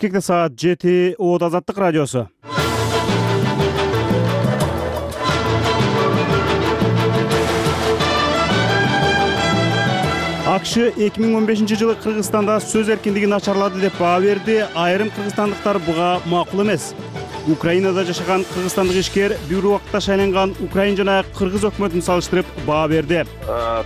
Бишкекте саат 7. Оот Азаттык радиосу. АКШ 2015-жылы Кыргызстанда сөз эркиндиги начарлады деп баа берди. Айрым кыргызстандыктар буга макул эмес. Украинада жашаган кыргызстандык ишкер бир убакта шайланган Украин жана Кыргыз өкмөтүн салыштырып баа берди.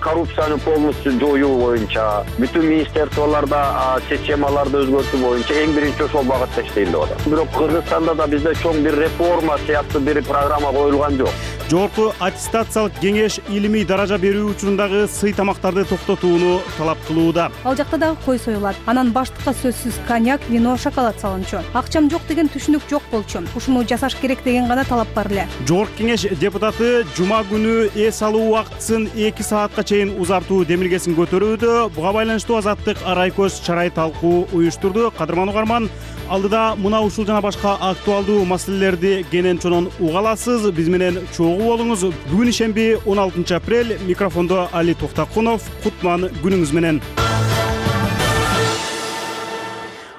Коррупцияны полностью жоюу боюнча, бүтүн министрликтолордо системаларды өзгөртүү боюнча эң биринчи ошол багытта иштейм деп атат. Бирок Кыргызстанда да бизде чоң бир реформа сыяктуу бир программа коюлган жок. Жогорку аттестациялык кеңеш илимий даража берүү учурундагы сый тамактарды токтотууну талап кылууда. Ал жакта дагы кой союлат. Анан баштыкка сөзсүз коньяк, вино, шоколад салынчу. Акчам жок деген түшүнүк жок болчу. Ушуну жасаш керек деген гана талап бар эле. Жогорку кеңеш депутаты жума күнү эс алуу убактысын 2 саатка чейин узартуу демилгесин көтөрүүдө. Буга байланыштуу Азаттык арай көз чарай талкуу уюштурду. Кадырман угарман, алдыда мына ушул жана башка актуалдуу маселелерди кенен чонон уга аласыз. Биз менен чогуу болуңуз. Бүгүн ишемби 16 апрель. Микрофондо Али Токтакунов. Кутман күнүңүз менен.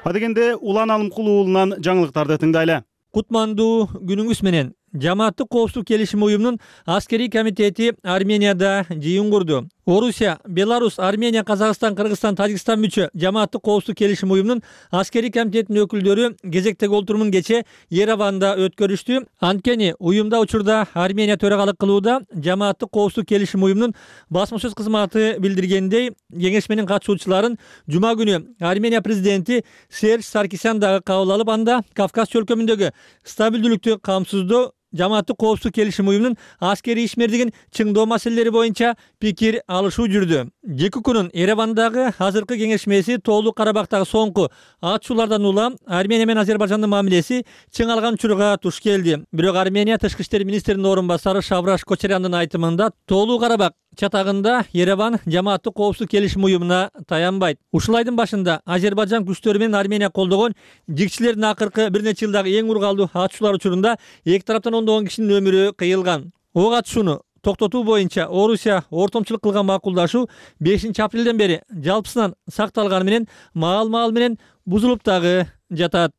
Адегенде Улан Алымкул уулунан жаңылыктарды тыңдайлы. Кутмандуу күнүңүз менен. Жамааттык коопсуздук келишим уюмунун аскерий комитети Арменияда жыйын курду. Орусия, Беларусь, Армения, Казакстан, Кыргызстан, Тажикстан мүчө Жамааттык коопсуздук келишим уюмунун аскерий комитетинин өкүлдөрү кезектеги олтурумун кече Ереванда өткөрүштү. Анткени уюмда учурда Армения төрагалык кылууда. Жамааттык коопсуздук келишим уюмунун басма сөз кызматы билдиргендей, кеңеш менен катышуучуларын жума күнү Армения президенти Серж Саркисян дагы кабыл алып, анда Кавказ чөлкөмүндөгү стабилдүүлүктү камсыздоо, Жамааттык коопсуздук келишим уюмунун аскерий ишмердигин чыңдоо маселелери боюнча пикир алышуу жүрдү. Жеки күнүн Еревандагы азыркы кеңешмеси Тоолуу Карабактагы соңку атышуулардан улам Армения менен Азербайжандын мамилеси чың алган учурга туш келди. Бирок Армения тышкы иштер министринин орун басары Шавраш Кочаряндын айтымында Тоолуу Карабак чатагында Ереван Жамааттык коопсуздук келишим уюмуна таянбайт. Ушул айдын башында Азербайжан күчтөрү менен Армения колдогон жигчилердин акыркы бир нече жылдагы эң ургалдуу атышуулар учурунда эки тараптан ондогон кишинин өмүрү кыйылган. Ок атышууну токтотуу боюнча Орусия ортомчулук кылган макулдашуу 5 апрелден бери жалпысынан сакталганы менен маал менен бузулуп дагы жатат.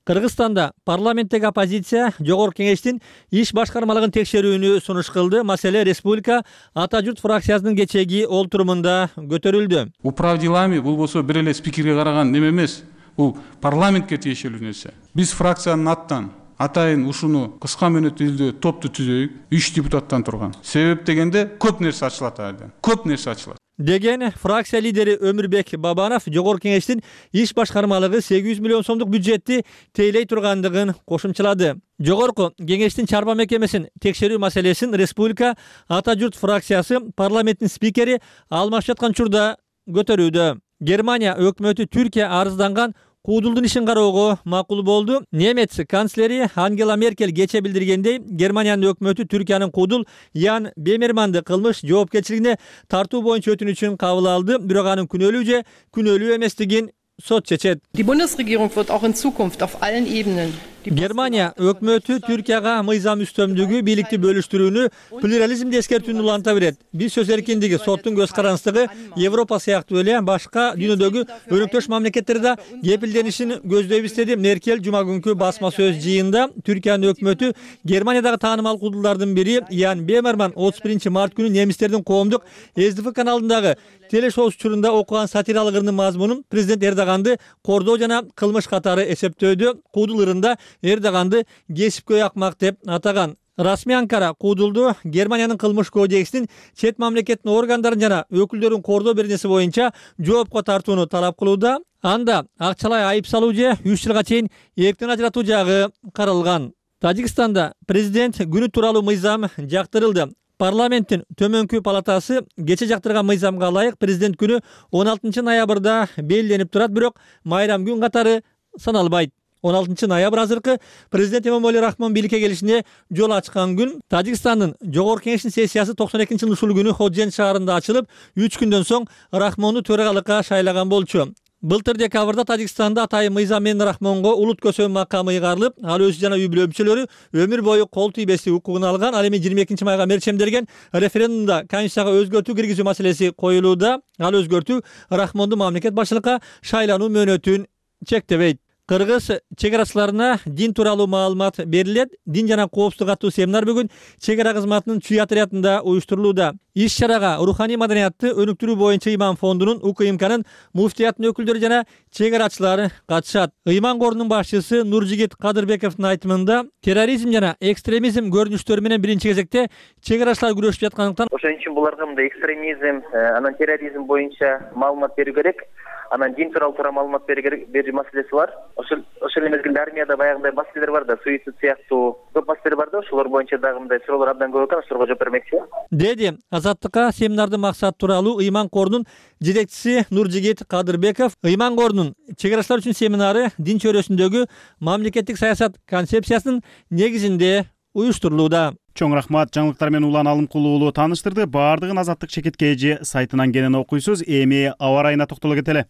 Кыргызстанда парламенттеги оппозиция жогорку кеңештин иш башкармалыгын текшерүүнү сунуш кылды. Маселе республика Ата журт фракциясынын кечеги олтурумунда көтөрүлдү. Управ делами болбосо бир эле спикерге караган неме эмес, бул парламентке тиешелүү нерсе. Биз фракциянын аттан атайын ушуну кыска мөөнөттүү топту түзөйүк. 3 депутаттан турган. Себеп дегенде көп нерсе ачылат айдан. Көп нерсе ачылат деген фракция лидери Өмүрбек Бабанов жогорку кеңештин иш башкармалыгы 800 миллион сомдук бюджетти тейлей тургандыгын кошумчалады. Жогорку кеңештин чарба мекемесин текшерүү маселесин республика Ата журт фракциясы парламенттин спикери алмашып жаткан учурда көтөрүүдө. Германия өкмөтү Түркия арызданган Куудулдун ишин кароого макул болду. Немец канцлери Ангела Меркель кече билдиргендей, Германиянын өкмөтү Түркиянын Куудул Ян Бемерманды кылмыш жоопкерчилигине тартуу боюнча өтүнүчүн кабыл алды. Бирок анын күнөөлүү же күнөөлүү эместигин сот чечет. Die Bundesregierung wird auch in Zukunft auf allen Ebenen Германия өкмөтү Түркияга мыйзам үстөмдүгү, бийликти бөлүштүрүүнү, плюрализмди эскертүүнү уланта берет. Биз сөз эркиндиги, соттун көз карандысыздыгы Европа сыяктуу эле башка дүйнөдөгү өнөктөш мамлекеттерде кепилденишин көздөйбүз деди Меркель жума күнкү басма сөз жыйында. Түркиянын өкмөтү Германиядагы таанымал куудулдардын бири Ян Бемерман 31 март күнү немистердин коомдук СДФ каналындагы телешоу учурунда окуган сатиралык ырдын мазмунун президент Эрдоганды кордоо жана кылмыш катары эсептөөдө. Куудул ырында Эрдоганды кесипкөй акмак деп атаган. Расмий Анкара Куудулду Германиянын кылмыш кодексинин чет мамлекеттин органдарын жана өкүлдөрүн кордоо беренеси боюнча жоопко тартууну талап кылууда. Анда акчалай айып салуу же 3 жылга чейин эрктен ажыратуу жагы каралган. Тажикстанда президент күнү тууралуу мыйзам жактырылды. Парламенттин төмөнкү палатасы кече жактырган мыйзамга ылайык президент күнү 16 ноябрда белгиленип турат, бирок майрам күн катары саналбайт. 16 ноябрь азыркы президент Эмомали Рахмон бийликке келишине жол ачкан күн. Тажикстандын жогорку кеңештин сессиясы 92-жылы ушул күнү Ходжент шаарында ачылып, 3 күндөн соң Рахмонду төрагалыкка шайлаган болчу. Былтыр декабрда Тажикстанда атайын мыйзам менен Рахмонго улут көсөм макамы ыйгарылып, ал өзү жана үй бүлө мүчөлөрү өмүр бою кол тийбестик укугун алган. Ал эми 22 майга мерчемделген референдумда конституцияга өзгөртүү киргизүү маселеси коюлууда. Ал өзгөртүү Рахмондун мамлекет башчылыкка шайлануу мөөнөтүн чектебейт. Кыргыз чек арачыларына дин тууралуу маалымат берилет. Дин жана коопсуздук аттуу семинар бүгүн чек ара кызматынын Чүй отрядында уюштурулууда. Иш-чарага руханий маданиятты өнүктүрүү боюнча Ыйман фондунун УКМКнын муфтиятынын өкүлдөрү жана чек арачылары катышат. Ыйман корунун башчысы Нуржигит Кадырбековдун айтымында терроризм жана экстремизм көрүнүштөрү менен биринчи кезекте чек арачылар күрөшүп жаткандыктан ошон үчүн буларга мындай экстремизм, анан терроризм боюнча маалымат берүү керек. Анан дин тууралуу маалымат берүү маселеси бар. Ошол мезгилде армияда баягындай маселелер бар да, суицид сыяктуу көп маселелер бар да, ошолор боюнча дагы мындай суроолор абдан көп экен, ошолорго жооп бермекчи. Деди Азаттыкка семинардын максаты тууралуу Ыйман корунун жетекчиси Нуржигит Кадырбеков. Ыйман корунун чек арачылар үчүн семинары дин чөйрөсүндөгү мамлекеттик саясат концепциясынын негизинде уюштурулууда. Чоң рахмат. Жаңылыктар менен Улан Алымкулуу уулу тааныштырды. Баардыгын Азаттык Чекиткейжи сайтынан кенен окуйсуз. Эми аба ырайына токтоло кетели.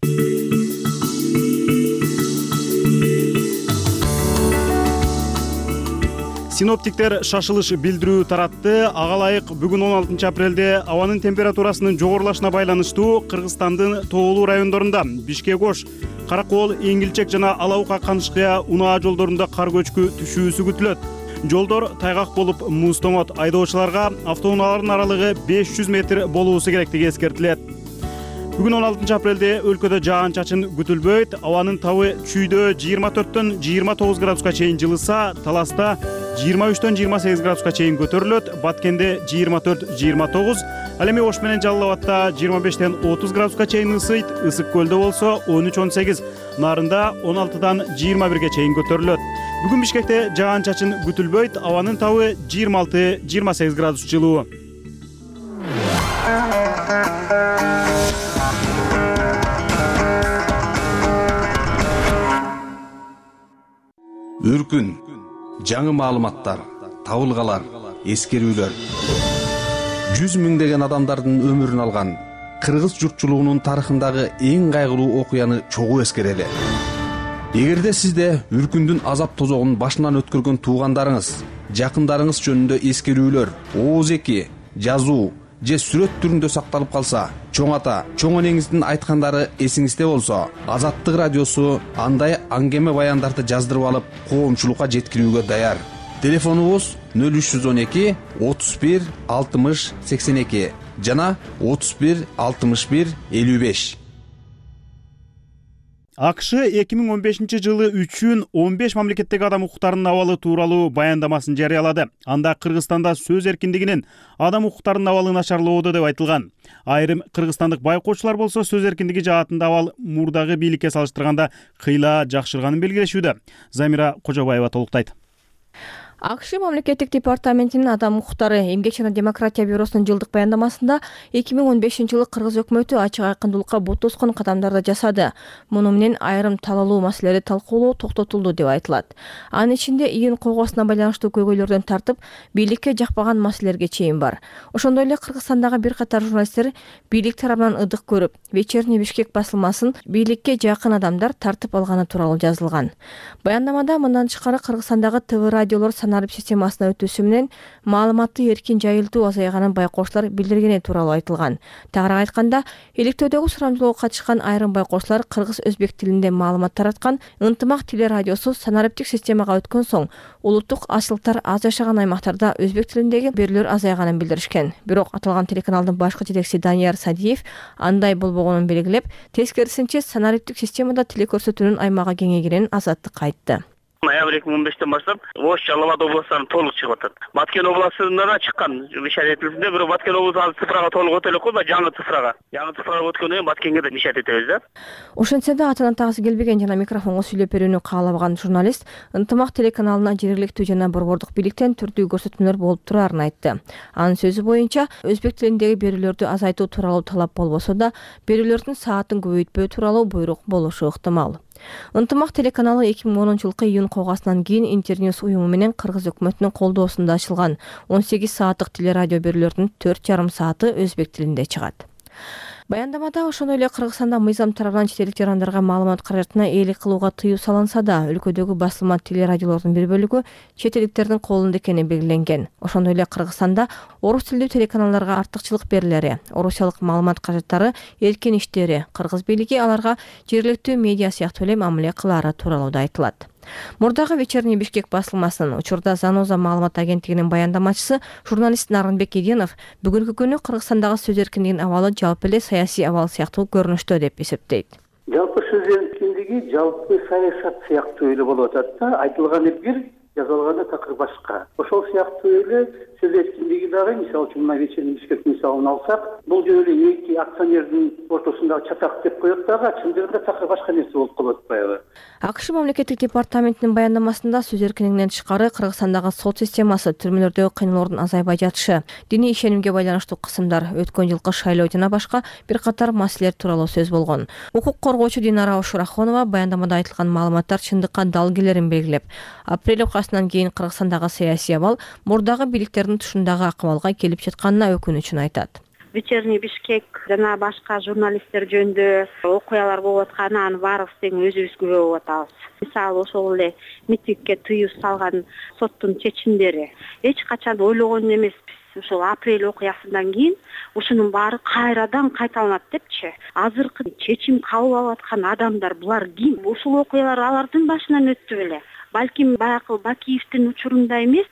Синоптиктер шашылыш билдирүү таратты. Ага ылайык бүгүн 16 апрелде абанын температурасынын жогорулашына байланыштуу Кыргызстандын тоолуу райондорунда Бишкек-Ош, Каракол, Эңилчек жана Алабука Канышкыя унаа жолдорунда кар көчкү түшүүсү күтүлөт. Жолдор тайгак болуп муз томот. Айдоочуларга автоунаалардын аралыгы 500 метр болуусу керектиги эскертилет. Бүгүн 16 апрелде өлкөдө жаан-чачын күтүлбөйт. Абанын табы Чүйдө 24-төн 29 градуска чейин жылыса, Таласта 23-төн 28 градуска чейин көтөрүлөт. Баткенде 24-29, ал эми Ош менен Жалал Абадта 25-тен 30 градуска чейин ысыйт. Ысык көлдө болсо 13-18, Нарында 16-дан 21-ге чейин көтөрүлөт. Бүгүн Бишкекте жаан-чачын күтүлбөйт. Абанын табы 26-28 градус жылуу. Үркүн, жаңы маалыматтар, табылгалар, эскерүүлөр. 100 миңдеген адамдардын өмүрүн алган кыргыз журтчулугунун тарыхындагы эң кайгылуу окуяны чогуу эскерели. Эгерде сизде үркүндүн азап тозогун башынан өткөргөн туугандарыңыз, жакындарыңыз жөнүндө эскерүүлөр, ооз эки, жазуу же сүрөт түрүндө сакталып калса, чоң ата, чоң энеңиздин айткандары эсиңизде болсо, Азаттык радиосу андай аңгеме баяндарды жаздырып алып, коомчулукка жеткирүүгө даяр. Телефонубуз 0312 31 60 82 жана 31 61 55. АКШ 2015 жылы үчүн 15 мамлекеттеги адам укуктарынын абалы тууралуу баяндамасын жарыялады. Анда Кыргызстанда сөз эркиндигинин адам укуктарынын абалы начарлоодо деп айтылган. Айрым кыргызстандык байкоочулар болсо сөз эркиндиги жаатында абал мурдагы бийликке салыштырганда кыйла жакшырганын белгилешүүдө. Замира Кожобаева толуктайт. АКШ мамлекеттик департаментинин адам укуктары, эмгек жана демократия бюросунун жылдык баяндамасында 2015 жылы кыргыз өкмөтү ачык айкындуулукка бут тоскон кадамдарды жасады. Муну менен айрым талалуу маселелерди талкуулоо токтотулду деп айтылат. Анын ичинде июнь койгосуна байланыштуу көйгөйлөрдөн тартып, бийликке жакпаган маселелерге чейин бар. Ошондой эле Кыргызстандагы бир катар журналисттер бийлик тарабынан ыдык көрүп, Вечерний Бишкек басылмасын бийликке жакын адамдар тартып алганы тууралуу жазылган. Баяндамада мындан тышкары Кыргызстандагы ТВ радиолор саналып системасына өтүүсү менен маалыматты эркин жайылтуу азайганын байкоочулар билдиргени тууралуу айтылган. Тагыраак айтканда, иликтөөдөгү сурамжылоого катышкан айрым байкоочулар кыргыз-өзбек тилинде маалымат тараткан Ынтымак телерадиосу санариптик системага өткөн соң улуттук ачылыктар аз жашаган аймактарда өзбек тилиндеги берүүлөр азайганын билдиришкен. Бирок аталган телеканалдын башкы жетекчиси Данияр Садиев андай болбогонун белгилеп, тескерисинче санариптик системада телекөрсөтүүнүн аймагы кеңейгенин Азаттыкка айтты. Ноябрь 2015-тен баштап Ош, Жалал Абад областарына толук чыгып атат. Баткен областында да чыккан мишат этилсинде, бирок Баткен областу азыр цифрага толук өтө элек кой, жаңы цифрага. Жаңы цифрага өткөндөн кийин Баткенге да мишат этебиз да. Ошентсе да атынан тагысы келбеген жана микрофонго сүйлөп берүүнү каалабаган журналист Ынтымак телеканалына жергиликтүү жана борбордук бийликтен түрдүү көрсөтмөлөр болуп турарын айтты. Анын сөзү боюнча, өзбек тилиндеги берүүлөрдү азайтуу тууралуу талап болбосо да, берүүлөрдүн саатын көбөйтпөө тууралуу буйрук болушу ыктымал. Ынтымак телеканалы 2010-жылкы июнь койгосунан кийин Интерньюс уюму менен кыргыз өкмөтүнүн колдоосунда ачылган 18 сааттык телерадио берүүлөрдүн 4,5 сааты өзбек тилинде чыгат. Баяндамада ошондой эле Кыргызстанда мыйзам тарабынан чет элдик жарандарга маалымат каражатына ээлик кылууга тыюу салынса да, өлкөдөгү басылма телерадиолордун бир бөлүгү чет элдиктердин колунда экени белгиленген. Ошондой эле Кыргызстанда орус тилдүү телеканалдарга артыкчылык берилери, орусиялык маалымат каражаттары эркин иштери, кыргыз бийлиги аларга жергиликтүү медиа сыяктуу эле мамиле кылаары тууралуу да айтылат. Мурдагы «Вечерний Бишкек» басылмасынын учурда Заноза маалымат агенттигинин баяндамачысы журналист Нарынбек Эденов бүгүнкү күнү Кыргызстандагы сөз эркиндигинин абалы жалпы эле саясий абал сыяктуу көрүнүштө деп эсептейт. Жалпы сөз эркиндиги жалпы саясат сыяктуу эле болуп атат да, айтылганы бир, жазылганы такыр башка. Ошол сыяктуу эле сөз эркиндиги дагы, мисалы үчүн мына «Вечерний Бишкек» мисалын алсак, бул жөн эле эки акционердин ортосундагы чатак деп коет дагы, чындыгында такыр башка нерсе болуп калып атпайбы? АКШ мамлекеттик департаментинин баяндамасында сөз эркиндигинен тышкары Кыргызстандагы сот системасы, түрмөлөрдөгү кыйноолордун азайбай жатышы, диний ишенимге байланыштуу кысымдар, өткөн жылкы шайлоо жана башка бир катар маселелер тууралуу сөз болгон. Укук коргоочу Динара Ошурахонова баяндамада айтылган маалыматтар чындыкка дал келерин белгилеп, апрель окуясынан кийин Кыргызстандагы саясий абал мурдагы бийликтердин тушундагы акыбалга келип жатканына өкүнүчүн айтат. «Вечерний Бишкек» жана башка журналисттер жөнүндө окуялар болуп атканы аны баарыбыз тең өзүбүз күбө болуп атабыз. Мисалы ошол эле митингге тыюу салган соттун чечимдери эч качан ойлогон эмеспиз. Ошол апрель окуясынан кийин ушунун баары кайрадан кайталанат депчи. Азыркы чечим кабыл алып аткан адамдар булар ким? Ушул окуялар алардын башынан өттү беле? Балким баягы Бакиевдин учурунда эмес,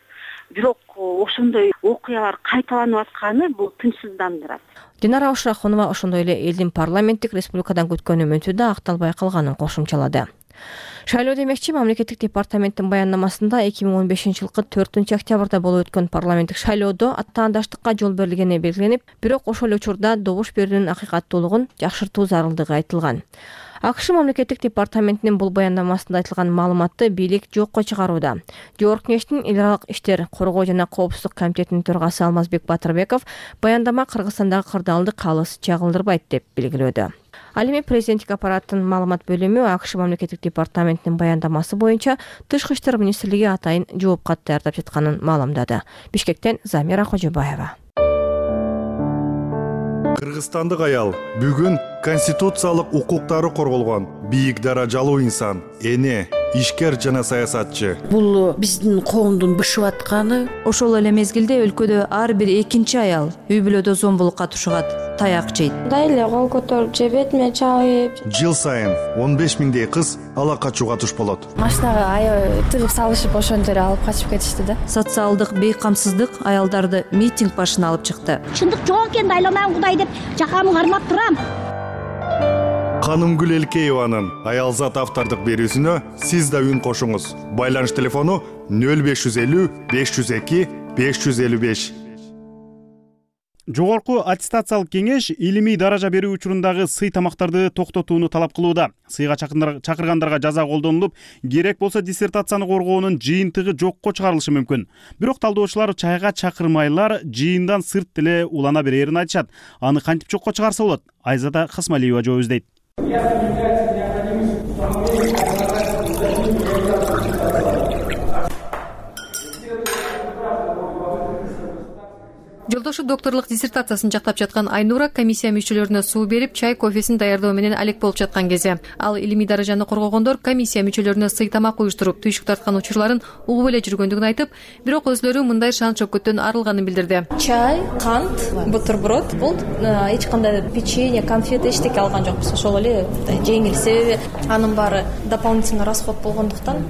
бирок ошондой окуялар кайталанып атканы бул тынчсыздандырат. Динара Ошурахонова ошондой эле элдин парламенттик республикадан күткөн үмүтү да акталбай калганын кошумчалады. Шайлоо демекчи, мамлекеттик департаменттин баяндамасында 2015-жылкы 4-октябрда болуп өткөн парламенттик шайлоодо аттаандаштыкка жол берилгени белгиленип, бирок ошол учурда добуш берүүнүн акыйкаттуулугун жакшыртуу зарылдыгы айтылган. АКШ мамлекеттик департаментинин бул баяндамасында айтылган маалыматты бийлик жокко чыгарууда. Жогорку Кеңештин эл аралык иштер, коргоо жана коопсуздук комитетинин төрагасы Алмазбек Батырбеков баяндама Кыргызстандагы кырдаалды калыс чагылдырбайт деп белгилөөдө. Ал эми президенттик аппараттын маалымат бөлүмү АКШ мамлекеттик департаментинин баяндамасы боюнча Тышкы иштер министрлиги атайын жооп кат даярдап жатканын маалымдады. Бишкектен Замира Кожобаева. Кыргызстандык аял бүгүн конституциялык укуктары корголгон бийик даражалуу инсан, эне, ишкер жана саясатчы. Бул биздин коомдун бышып атканы. Ошол эле мезгилде өлкөдө ар бир экинчи аял үй бүлөдө зомбулукка тушугат, таяк жейт. Дайле кол көтөрүп же бетиме чабып. Жыл сайын 15 миңдей кыз ала качууга туш болот. Машинага аябай тыгып салышып ошентип алып качып кетишти да. Социалдык бейкамсыздык аялдарды митинг башына алып чыкты. Чындык жок экен, айланам Кудай деп жакамды кармап турам. Канымгүл Элкееванын аялзат автордук берүүсүнө сиз да үн кошуңуз. Байланыш телефону 0550 502 555. Жогорку аттестациялык кеңеш илимий даража берүү учурундагы сый тамактарды токтотууну талап кылууда. Сыйга чакыргандарга жаза колдонулуп, керек болсо диссертацияны коргоонун жыйынтыгы жокко чыгарылышы мүмкүн. Бирок талдоочулар чайга чакырмайлар жыйындан сырт деле улана берерин айтышат. Аны кантип жокко чыгарса болот? Айзада Хасмалиева жооп издейт. Жолдошу докторлук диссертациясын жактап жаткан Айнура комиссия мүчөлөрүнө суу берип, чай, кофесин даярдоо менен алек болуп жаткан кезде ал илимий даражаны коргогондор комиссия мүчөлөрүнө сый тамак уюштуруп, түйшүк тарткан учурларын угуп эле жүргөндүгүн айтып, бирок өзлөрү мындай шан шөкөттөн арылганын билдирди. Чай, кант, бутерброд, бул эч кандай печенье, конфет эчтеке алган жокпуз. Ошол эле жеңил, себеби анын баары дополнительный расход болгондуктан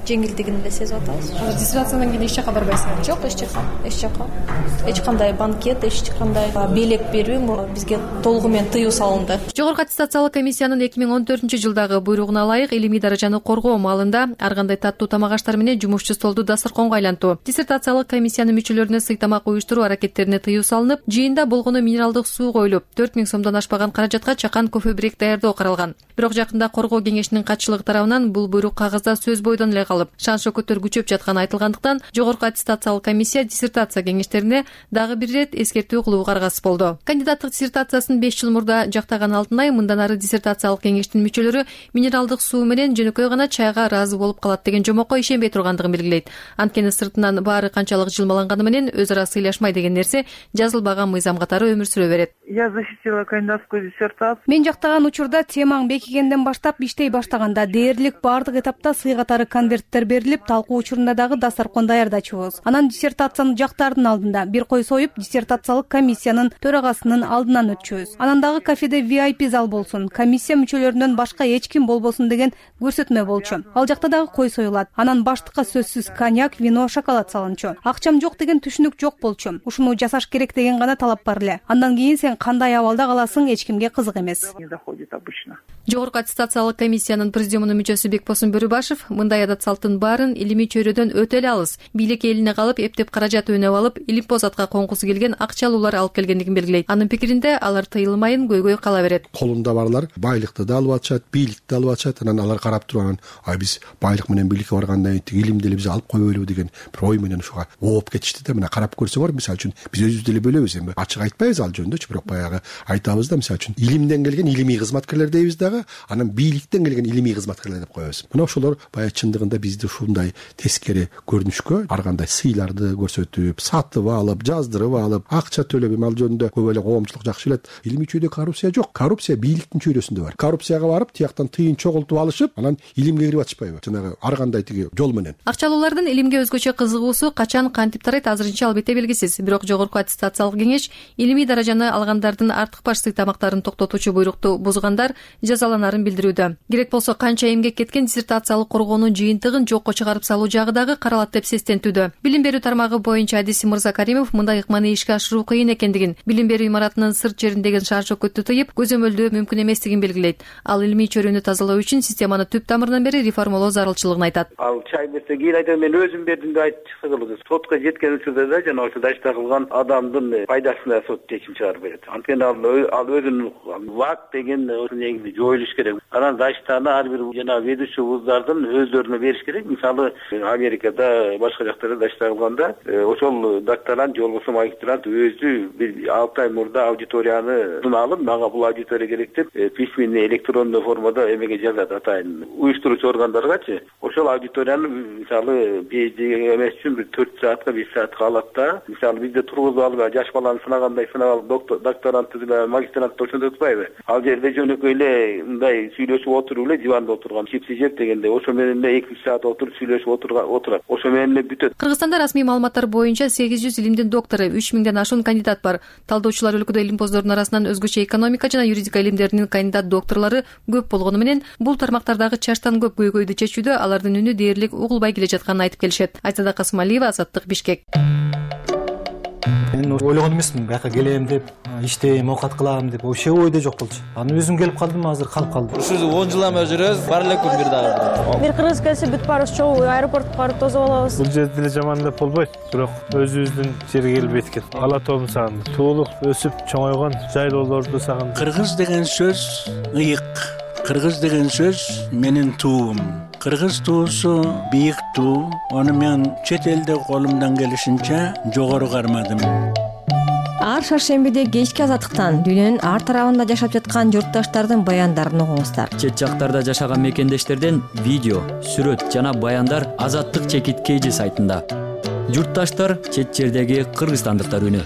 жеңилдигин эле сезип атабыз. Диссертациядан кийин эч жака барбайсызбы? Жок, эч жака. Эч кандай банкет, эч кандай белек берүү бизге толугу менен тыюу салынды. Жогорку аттестациялык комиссиянын 2014-жылдагы буйругуна ылайык илимий даражаны коргоо маалында ар кандай таттуу тамак аштар менен жумушчу столду дасторконго айлантуу, диссертациялык комиссиянын мүчөлөрүнө сый тамак уюштуруу аракеттерине тыюу салынып, жыйында болгону минералдык суу коюлуп, 4000 сомдон ашпаган каражатка чакан кофе брек даярдоо каралган. Бирок жакында коргоо кеңешинин катчылыгы тарабынан бул буйрук кагазда сөз бойдон эле калып, шан шөкөттөр күчөп жатканы айтылгандыктан жогорку аттестациялык комиссия диссертация кеңештерине дагы бир ирет эскертүү кылууга аргасыз болду. Кандидаттык диссертациясын 5 жыл мурда жактаган Алтынай мындан ары диссертациялык кеңештин мүчөлөрү минералдык суу менен жөнөкөй гана чайга ыраазы болуп калат деген жомокко ишенбей тургандыгын белгилейт. Анткени сыртынан баары канчалык жылмаланганы менен өз ара сыйлашмай деген нерсе жазылбаган мыйзам катары өмүр сүрө берет. Я защитила кандидатскую диссертацию. Мен жактаган учурда темаң бекигенден баштап иштей баштаганда дээрлик баардык этапта сый катары конверттер берилип, талкуу учурунда дагы дасторкон даярдачубуз. Анан диссертацияны жактардын алдында бир кой союп, диссертациялык комиссиянын төрагасынын алдынан өтчүбүз. Анан дагы кафеде VIP зал болсун, комиссия мүчөлөрүнөн башка эч ким болбосун деген көрсөтмө болчу. Ал жакта дагы кой союлат. Анан баштыкка сөзсүз коньяк, вино, шоколад салынчу. Акчам жок деген түшүнүк жок болчу. Ушуну жасаш керек деген гана талап бар эле. Андан кийин сен кандай абалда каласың эч кимге кызык эмес. Жогорку аттестациялык комиссиянын президиумунун мүчөсү Бекбосун Бөрүбашев мындай адат салттын баарын илимий чөйрөдөн өтө эле алыс, бийлик элине калып эптеп каражат өнөп алып, илимпоз атка конгусу келген акчалуулар алып келгендигин белгилейт. Анын пикиринде алар тыйылмайын көйгөй кала берет. Колунда барлар байлыкты да алып атышат, бийликти да алып атышат. Анан алар карап туруп, биз байлык менен бийликке баргандан кийин илимди эле биз алып койбойлубу деген бир ой менен ушуга ооп кетишти да. Мына карап көрсөңөр, мисалы үчүн биз өзүбүз деле бөлөбүз, эми ачык айтпайбыз ал жөнүндө, бирок баягы айтабыз да, мисалы үчүн илимден келген илимий кызматкерлер дейбиз дагы, анан бийликтен келген илимий кызматкерлер деп коебуз. Мына ошолор баягы чындыгында бизди ушундай тескери көрүнүшкө ар кандай сыйларды көрсөтүп, сатып алып, жаздырып алып, акча төлөп, ал жөнүндө көп эле коомчулук жакшы билет. Илимий чөйрөдө коррупция жок. Коррупция бийликтин чөйрөсүндө бар. Коррупцияга барып, тияктан тыйын чогултуп алышып, анан илимге кирип атышпайбы? Жанагы ар кандай тиги жол менен. Акчалуулардын илимге өзгөчө кызыгуусу качан кантип тарайт азырынча албетте белгисиз. Бирок жогорку аттестациялык кеңеш илимий даражаны алгандардын артык баш сый тамактарын токтотуучу буйрукту бузгандар жазаланарын билдирүүдө. Керек болсо канча эмгек кеткен диссертациялык коргоонун жыйынтыгын жокко чыгарып салуу жагы дагы каралат деп сестентүүдө. Билим берүү тармагы боюнча адиси Мырзакаримов мындай ыкманы ишке ашыруу кыйын экендигин, билим берүү имаратынын сырт жериндеги шаар чөкөттү тыйып, көзөмөлдөө мүмкүн эместигин белгилейт. Ал илимий чөйрөнү тазалоо үчүн системаны түп тамырынан бери реформалоо зарылчылыгын айтат. Ал чай берсе кийин айтат, мен өзүм бердим деп айтып чыкса кылды. Сотко жеткен учурда да жана ошо дачта кылган адамдын пайдасына сот чечим чыгарып берет. Анткени ал өзүнүн ВАК деген негизи жоюлуш керек. Анан даштаны ар бир жана ведущий вуздардын өздөрүнө бериш керек. Мисалы Америкада башка жактарда дачта кылганда ошол докторант же болбосо магистрант өзү бир 6 ай мурда аудиторияны алып, мага бул аудитория керек деп письменный электрондуу формада эмеге жазат атайын уюштуруучу органдаргачы. Ошол аудиторияны мисалы PhD эмес үчүн бир 4 саатка 5 саатка алат да. Мисалы бизде тургузуп алып жаш баланы сынагандай сынап алып докторантты деле магистрантты ошондой турбайбы? Ал жерде жөнөкөй эле мындай сүйлөшүп отуруп эле диванда отурган, чипси жеп дегенде ошо менен эле 2 саат отуруп сүйлөшүп отурат. Ошо менен эле бүтөт. Кыргызстанда расмий маалыматтар боюнча 800 илимдин доктору, 3000ден ашуун кандидат бар. Талдоочулар өлкөдө илимпоздордун арасынан өзгөчө экономика жана юридика илимдеринин кандидат докторлору көп болгону менен бул тармактардагы чачтан көп көйгөйдү чечүүдө алардын үнү дээрлик угулбай келе жатканын айтып келишет. Айсада Касымалиева, Азаттык, Бишкек. Мен ойлогон эмесмин, бияка келем деп, иштейм, оокат кылам деп, вообще ойдо жок болчу. Аны өзүм келип калдым, азыр калып калдым. Ушу 10 жылдан бери жүрөбүз, бар эле күн бир дагы. Бир кыргыз келсе бүт баарыбыз чогуу аэропортко барып тосуп алабыз. Бул жерде деле жаман деп болбойт, бирок өзүбүздүн жерге келип эткен. Ала тоомду сагындым. Туулуп, өсүп, чоңойгон жайлоолорду сагындым. Кыргыз деген сөз ыйык. Кыргыз деген сөз менин туум. Кыргыз туусу бийик туу. Аны мен чет элде колумдан келишинче жогору кармадым. Ар шаршембиде кечки азаттыктан дүйнөнүн ар тарабында жашап жаткан журтташтардын баяндарын угуңуздар. Чет жактарда жашаган мекендештерден видео, сүрөт жана баяндар Азаттык /KG сайтында. Журтташтар чет жердеги кыргызстандыктар үнү.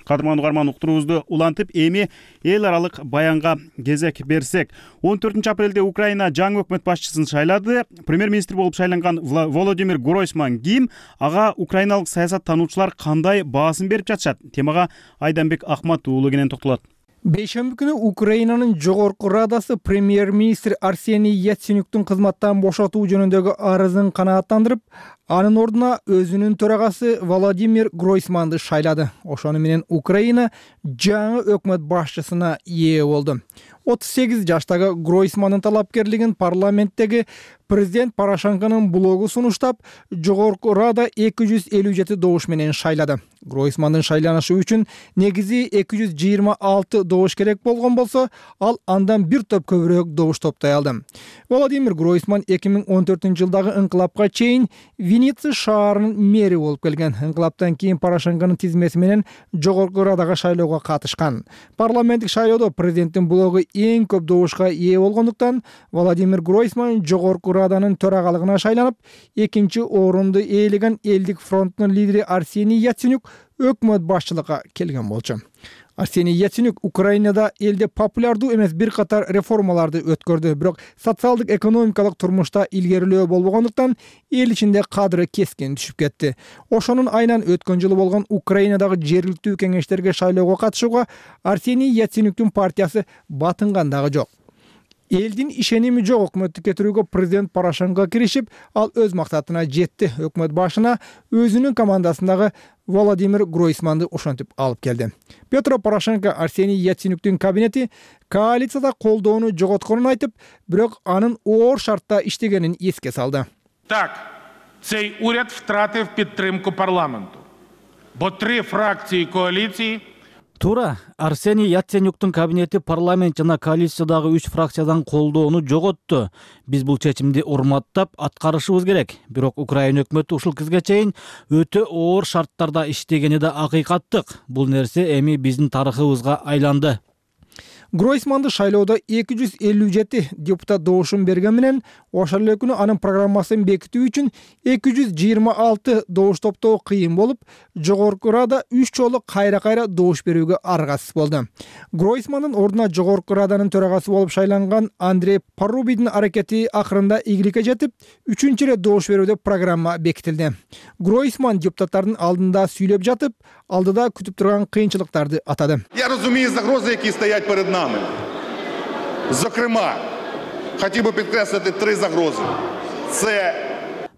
Кадырман угарман, уктуруубузду улантып, эми эл аралык баянга кезек берсек. 14 апрелде Украина жаңы өкмөт башчысын шайлады. Премьер-министр болуп шайланган Володимир Гройсман ким? Ага украиналык саясаттануучулар кандай баасын берип жатышат? Темага Айданбек Ахмат уулу кенен токтолот. Бейшемби күнү Украинанын жогорку радасы премьер-министр Арсений Яценюктун кызматтан бошотуу жөнүндөгү арызын канааттандырып, анын ордуна өзүнүн төрагасы Володимир Гройсманды шайлады. Ошону менен Украина жаңы өкмөт башчысына ээ болду. 38 жаштагы Гройсмандын талапкерлигин парламенттеги президент Порошенконун блогу сунуштап, жогорку Рада 257 добуш менен шайлады. Гройсмандын шайланышы үчүн негизи 226 добуш керек болгон болсо, ал андан бир топ көбүрөөк добуш топтой алды. Владимир Гройсман 2014-жылдагы ыңкылапка чейин Винница шаарынын мэри болуп келген. Ыңкылаптан кийин Порошенконун тизмеси менен жогорку Радага шайлоого катышкан. Парламенттик шайлоодо президенттин блогу эң көп добушка ээ болгондуктан Владимир Гройсман жогорку Раданын төрагалыгына шайланып, экинчи орунду ээлеген Элдик фронтунун лидери Арсений Яценюк өкмөт башчылыкка келген болчу. Арсений Яценюк Украинада элде популярдуу эмес бир катар реформаларды өткөрдү, бирок социалдык экономикалык турмушта илгерилөө болбогондуктан эл ичинде кадры кескин түшүп кетти. Ошонун айынан өткөн жылы болгон Украинадагы жергиликтүү кеңештерге шайлоого катышууга Арсений Яценюктун партиясы батынган дагы жок. Элдин ишеними жок өкмөттү кетирүүгө президент Порошенко киришип, ал өз максатына жетти. Өкмөт башына өзүнүн командасындагы Владимир Гройсманды ошентип алып келди. Петро Порошенко Арсений Яценюктун кабинети коалицияда колдоону жоготконун айтып, бирок анын оор шартта иштегенин эске салды. Так, цей уряд втратив підтримку парламенту, бо 3 фракції коаліції. Туура, Арсений Яценюктун кабинети парламент жана коалициядагы 3 фракциядан колдоону жоготту. Биз бул чечимди урматтап аткарышыбыз керек. Бирок Украина өкмөтү ушул кезге чейин өтө оор шарттарда иштегени да акыйкаттык. Бул нерсе эми биздин тарыхыбызга айланды. Гройсманды шайлоодо 257 депутат добушун берген менен, ошол эле күнү анын программасын бекитүү үчүн 226 добуш топтоо кыйын болуп, жогорку Рада 3 жолу кайра добуш берүүгө аргасыз болду. Гройсмандын ордуна жогорку Раданын төрагасы болуп шайланган Андрей Порубийдин аракети акырында ийгиликке жетип, 3-чү ирет добуш берүүдө программа бекитилди. Гройсман депутаттардын алдында сүйлөп жатып, алдыда күтүп турган кыйынчылыктарды атады. Я розумію загрози, які стоять перед нами. Зокрема, хотів би підкреслити 3 загрози. Це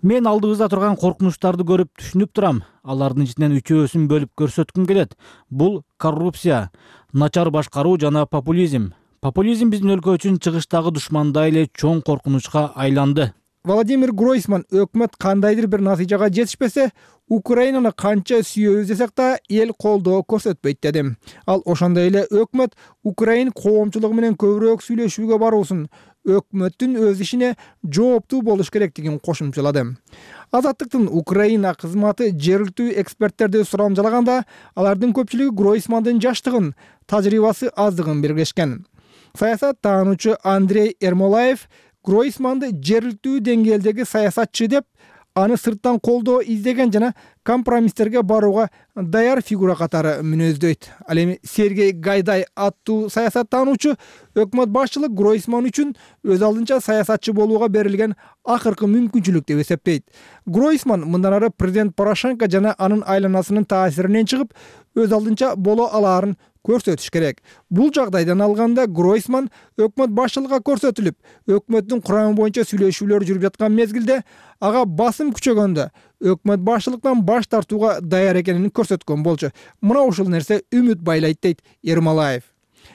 Мен алдыбызда турган коркунучтарды көрүп түшүнүп турам. Алардын ичинен 3-өсүн бөлүп көрсөткүм келет. Бул коррупция, начар башкаруу жана популизм. Популизм биздин өлкө үчүн чыгыштагы душмандай эле чоң коркунучка айланды. Владимир Гройсман өкмөт кандайдыр бир натыйжага жетишпесе, Украинаны канча сүйөбүз десек да эл колдоо көрсөтпөйт деди. Ал ошондой эле өкмөт Украин коомчулугу менен көбүрөөк сүйлөшүүгө баруусун, өкмөттүн өз ишине жооптуу болуш керектигин кошумчалады. Азаттыктын Украина кызматы жергиликтүү эксперттерди сурамжалаганда, алардын көпчүлүгү Гройсмандын жаштыгын, тажрыйбасы аздыгын белгилешкен. Саясат таануучу Андрей Ермолаев Гройсманды жергиликтүү деңгээлдеги саясатчы деп, аны сырттан колдоо издеген жана компромисстерге барууга даяр фигура катары мүнөздөйт. Ал эми Сергей Гайдай аттуу саясаттануучу өкмөт башчылык Гройсман үчүн өз алдынча саясатчы болууга берилген акыркы мүмкүнчүлүк деп эсептейт. Гройсман мындан ары президент Порошенко жана анын айланасынын таасиринен чыгып, өз алдынча боло алаарын көрсөтүш керек. Бул жагдайдан алганда Гройсман өкмөт башчылыгына көрсөтүлүп, өкмөттүн курамы боюнча сүйлөшүүлөр жүрүп жаткан мезгилде ага басым күчөгөндө өкмөт башчылыктан баш тартууга даяр экенин көрсөткөн болчу. Мына ушул нерсе үмүт байлайт дейт Ермолаев.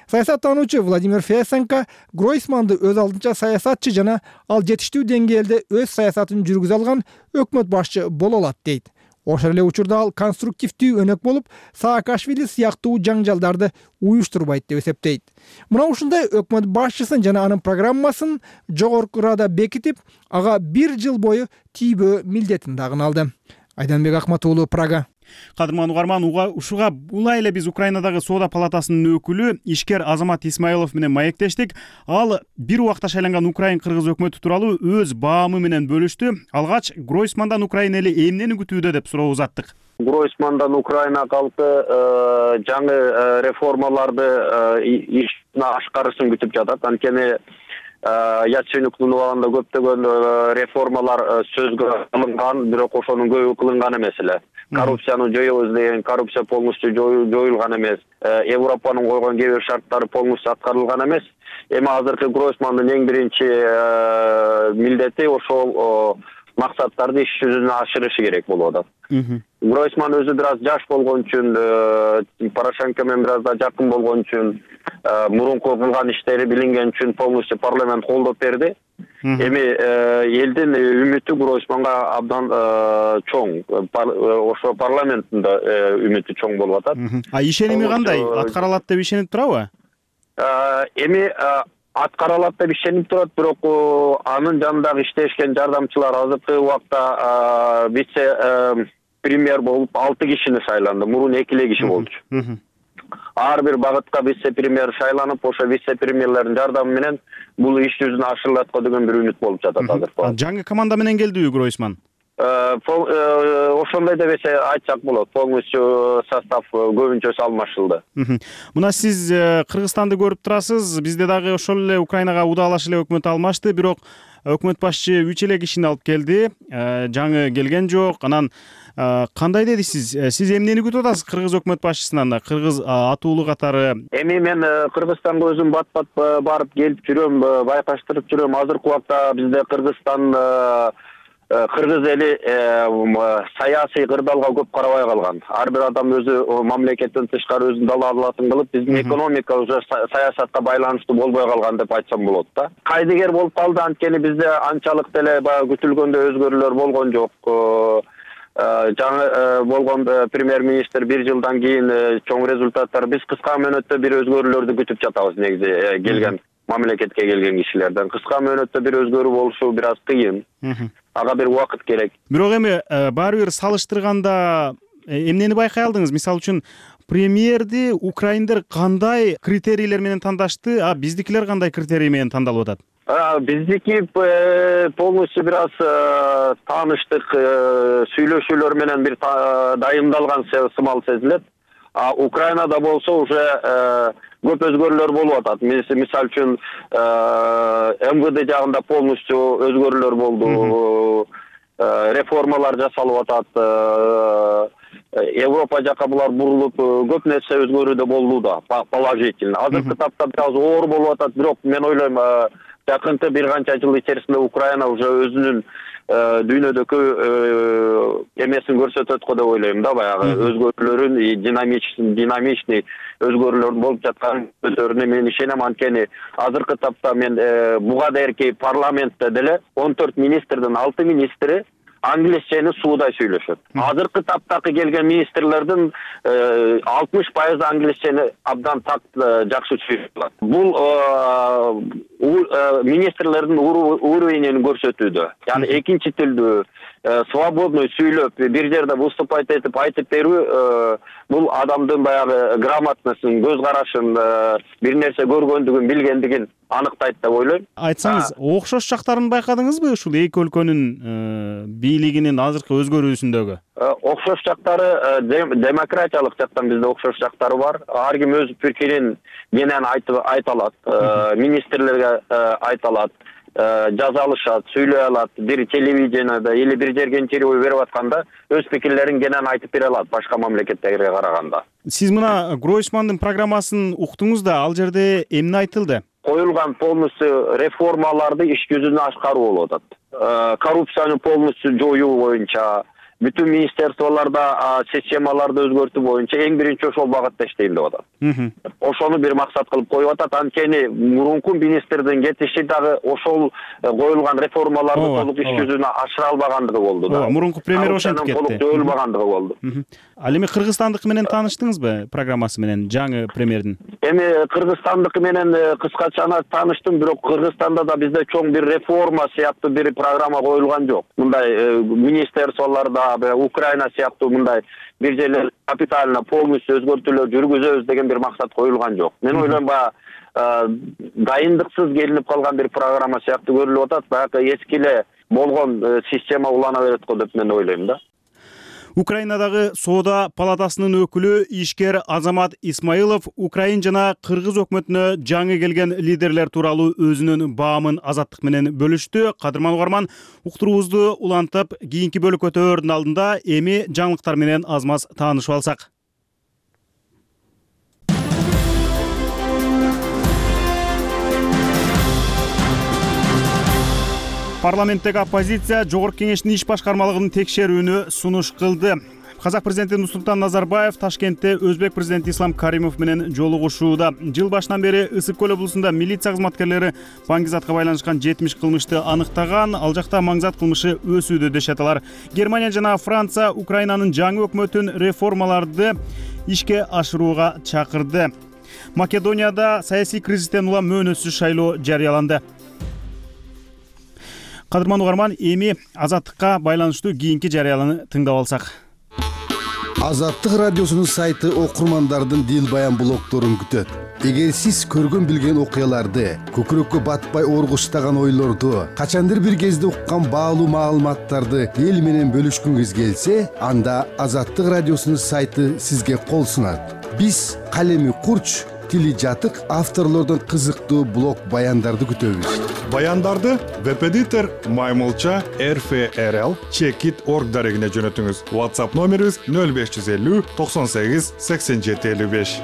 Саясаттануучу Владимир Фесенко Гройсманды өз алдынча саясатчы жана ал жетиштүү деңгээлде өз саясатын жүргүзө алган өкмөт башчы боло алат дейт. Ошол эле учурда ал конструктивдүү өнөк болуп, Саакашвили сыяктуу жаңжалдарды уюштурбайт деп эсептейт. Мына ушундай өкмөт башчысын жана анын программасын жогорку Рада бекитип, ага 1 жыл бою тийбөө милдетин дагы алды. Айданбек Акматуулу, Прага. Кадырман угарман, ушуга улай эле биз Украинадагы соода палатасынын өкүлү ишкер Азамат Исмаилов менен маектештик. Ал бир убакта шайланган Украин кыргыз өкмөтү тууралуу өз баамы менен бөлүштү. Алгач Гройсмандан Украина эли эмнени күтүүдө деп суроо узаттык. Гройсмандан Украина калкы жаңы реформаларды ишине ашкарышын күтүп жатат. Анткени Яценюктун убагында көптөгөн реформалар сөзгө алынган, бирок ошонун көбү кылынган эмес эле. Коррупцияны жоёбуз деген, коррупция полностью жоюлган эмес. Европанын койгон кээ бир шарттары полностью аткарылган эмес. Эми азыркы Гройсмандын эң биринчи милдети ошол максаттарды иш жүзүнө ашырышы керек болуп атат. Гройсман өзү бир аз жаш болгон үчүн, Порошенко менен бир аз да жакын болгон үчүн, мурунку кылган иштери билинген үчүн полностью парламент колдоп берди. Эми элдин үмүтү Гройсманга абдан чоң. Ошо парламенттин да үмүтү чоң болуп атат. А ишеними кандай? Аткара алат деп ишенип турабы? Эми аткара алат деп ишенип турат, бирок анын жанындагы иштешкен жардамчылар азыркы убакта вице премьер болуп 6 кишини шайланды. Мурун 2 киши болчу. Ар бир багытка вице премьер шайланып, ошо вице премьерлердин жардамы менен бул иш жүзүнө ашырылат деген бир үмүт болуп жатат азыр. Жаңы команда менен келдиби Гройсман? Ошондой деп айтсак болот. Полностью состав көбүнчөсү алмашылды. Мына сиз Кыргызстанды көрүп турасыз. Бизде дагы ошол эле Украинага удаалаш эле өкмөт алмашты, бирок өкмөт башчы 3 кишини алып келди. Жаңы келген жок. Анан кандай деди сиз? Сиз эмнени күтүп атасыз кыргыз өкмөт башчысынан да, кыргыз атуулу катары? Эми мен Кыргызстанга өзүм бат-бат барып келип жүрөм, байкаштырып жүрөм. Азыркы убакта бизде Кыргыз эли саясий кырдаалга көп карабай калган. Ар бир адам өзү мамлекеттен тышкары өзүнүн далаалатын кылып, биздин экономика уже саясатка байланыштуу болбой калган деп айтсам болот да. Кайдыгер болуп калды, анткени бизде анчалык деле баягы күтүлгөндөй өзгөрүүлөр болгон жок. Жаңы болгон премьер-министр 1 жылдан кийин чоң результаттар, биз кыска мөөнөттө бир өзгөрүүлөрдү күтүп жатабыз негизи келген мамлекетке келген кишилерден. Кыска мөөнөттө бир өзгөрүү болушу бир аз кыйын. Ага бир убакыт керек. Бирок эми баары бир салыштырганда эмнени байкай алдыңыз? Мисалы үчүн премьерди украиндер кандай критерийлер менен тандашты, а биздикилер кандай критерий менен тандалып атат? Биздики полностью бир аз тааныштык, сүйлөшүүлөр менен бир дайындалган сымал сезилет. А Украинада болсо уже көп өзгөрүүлөр болуп атат. Мисалы үчүн МВД жагында полностью өзгөрүүлөр болду. Реформалар жасалып атат. Европа жака булар бурулуп, көп нерсе өзгөрүүдө болду да, положительно. Азыркы тапта бир аз оор болуп атат, бирок мен ойлойм, жакынкы бир канча жыл ичерисинде Украина уже өзүнүн дүйнөдөгү эмесин көрсөтөт го деп ойлойм да, баягы өзгөрүүлөрүн, динамичный өзгөрүүлөр болуп жаткан өздөрүнө мен ишенем. Анткени азыркы тапта мен буга дейинки парламентте деле 14 министрдин 6 министри англисчени суудай сүйлөшөт. Азыркы таптагы келген министрлердин 60% англисчени абдан жакшы сүйлөп алат. Бул министрлердин уровенин көрсөтүүдө. Яны экинчи тилдүү свободный сүйлөп, бир жерде выступать этип айтып берүү, бул адамдын баягы грамотносын, көз карашын, бир нерсе көргөндүгүн, билгендигин аныктайт деп ойлойм. Айтсаңыз, окшош жактарын байкадыңызбы ушул эки өлкөнүн бийлигинин азыркы өзгөрүүсүндөгү? Окшош жактары демократиялык жактан бизде окшош жактары бар. Ар ким өз пикирин менен айта алат, министрлерге айта алат, жаза алышат, сүйлөй алат, бир телевидениеде или бир жерге интервью берип атканда өз пикирлерин кенен айтып бере алат башка мамлекеттерге караганда. Сиз мына Гройсмандын программасын уктуңуз да, ал жерде эмне айтылды? Коюлган полностью реформаларды иш жүзүнө ашкаруу болуп атат. Коррупцияны полностью жоюу боюнча, бүтүн министрликтолордо системаларды өзгөртүү боюнча эң биринчи ошол багытта иштейм деп атат. Ошону бир максат кылып коюп атат. Анткени мурунку министрдин кетиши дагы ошол коюлган реформаларды толук иш жүзүнө ашыра албагандыгы болду да. Мурунку премьер ошентип кетти. Толук жоюлбагандыгы болду. Ал эми кыргызстандыкы менен тааныштыңызбы, программасы менен, жаңы премьердин? Эми кыргызстандыкы менен кыскача тааныштым, бирок Кыргызстанда да бизде чоң бир реформа сыяктуу бир программа коюлган жок. Мындай министрликтолордо Украина сыяктуу мындай бир жерлер капитально полностью өзгөртүүлөр жүргүзөбүз деген бир максат коюлган жок. Мен ойлойм, дайындыксыз келинип калган бир программа сыяктуу көрүлүп атат. Баягы эски эле болгон система улана берет го деп мен ойлойм да. Украинадагы соода палатасынын өкүлү ишкер Азамат Исмаилов Украин жана Кыргыз өкмөтүнө жаңы келген лидерлер тууралуу өзүнүн баамын Азаттык менен бөлүштү. Кадырман угарман, уктуруубузду улантып, кийинки бөлүккө өтөөрдүн алдында эми жаңылыктар менен аз маз таанышып алсак. Парламенттеги оппозиция Жогорку Кеңештин иш башкармалыгынын текшерүүнү сунуш кылды. Казак президенти Нурсултан Назарбаев Ташкентте Өзбек президенти Ислам Каримов менен жолугушууда. Жыл башынан бери Ысык көл облусунда милиция кызматкерлери Баңгизатка байланышкан 70 кылмышты аныктаган. Ал жакта маңзат кылмышы өсүүдө дешет алар. Германия жана Франция Украинанын жаңы өкмөтүн реформаларды ишке ашырууга чакырды. Македонияда саясий кризистен улам мөөнөтсүз шайлоо жарыяланды. Кадырман угарман, эми Азаттыкка байланыштуу кийинки жарыяланы тыңдап алсак. Азаттык радиосунун сайты окурмандардын дил баян блогторун күтөт. Эгер сиз көргөн билген окуяларды, көкүрөккө батпай оргуштаган ойлорду, качандыр бир кезде уккан баалуу маалыматтарды эл менен бөлүшкүңүз келсе, анда Азаттык радиосунун сайты сизге кол сунат. Биз калеми курч, тили жатык авторлордун кызыктуу блог баяндарды күтөбүз. Баяндарды веб-эдитор Маймылча RFRL Checkit.org дарегине жөнөтүңүз. WhatsApp номерибиз 0550 98 87 55.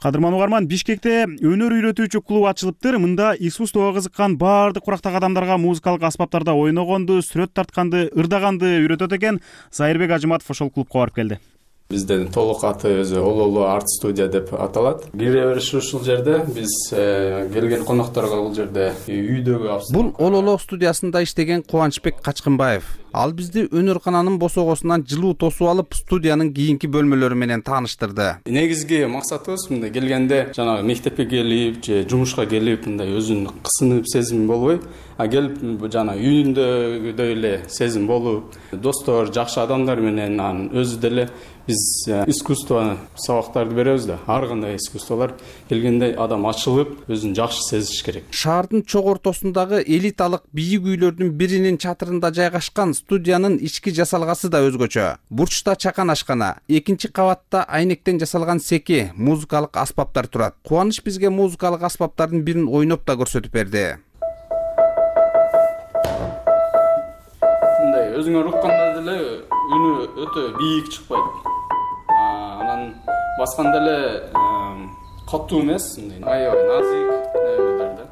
Кадырман угарман, Бишкекте өнөр үйрөтүүчү клуб ачылыптыр. Мында искусствого кызыккан баардык курактагы адамдарга музыкалык аспаптарда ойногонду, сүрөт тартканды, ырдаганды үйрөтөт экен. Зайырбек Ажыматов ошол клубка барып келди. Биздин толук аты өзү Ололу арт студия деп аталат. Кире бериш ушул жерде. Биз келген конокторго бул жерде үйдөгү. Бул Ололу студиясында иштеген Кубанычбек Качкынбаев. Ал бизди өнөр-кананын босогосунан жылуу тосуп алып, студиянын кийинки бөлмөлөрү менен тааныштырды. Негизги максатыбыз мындай келгенде жанагы мектепке келип же жумушка келип мындай өзүнүн кысынып сезим болбой, келип жана үйүндөгүдөй эле сезим болуп, достор, жакшы адамдар менен өзү деле биз искусство сабактарды беребиз да. Ар кандай искусстволор келгенде адам ачылып, өзүн жакшы сезиш керек. Шаардын чок ортосундагы элиталык бийик үйлөрдүн биринин чатырында жайгашкан студиянын ички жасалгасы да өзгөчө. Бурчта чакан ашкана, экинчи кабатта айнектен жасалган секи, музыкалык аспаптар турат. Кубаныч бизге музыкалык аспаптардын бирин ойноп да көрсөтүп берди. Мындай өзүңөр укканда деле үнү өтө бийик чыкпайт. Анан басканда эле катуу эмес, аябай назик нерселерде.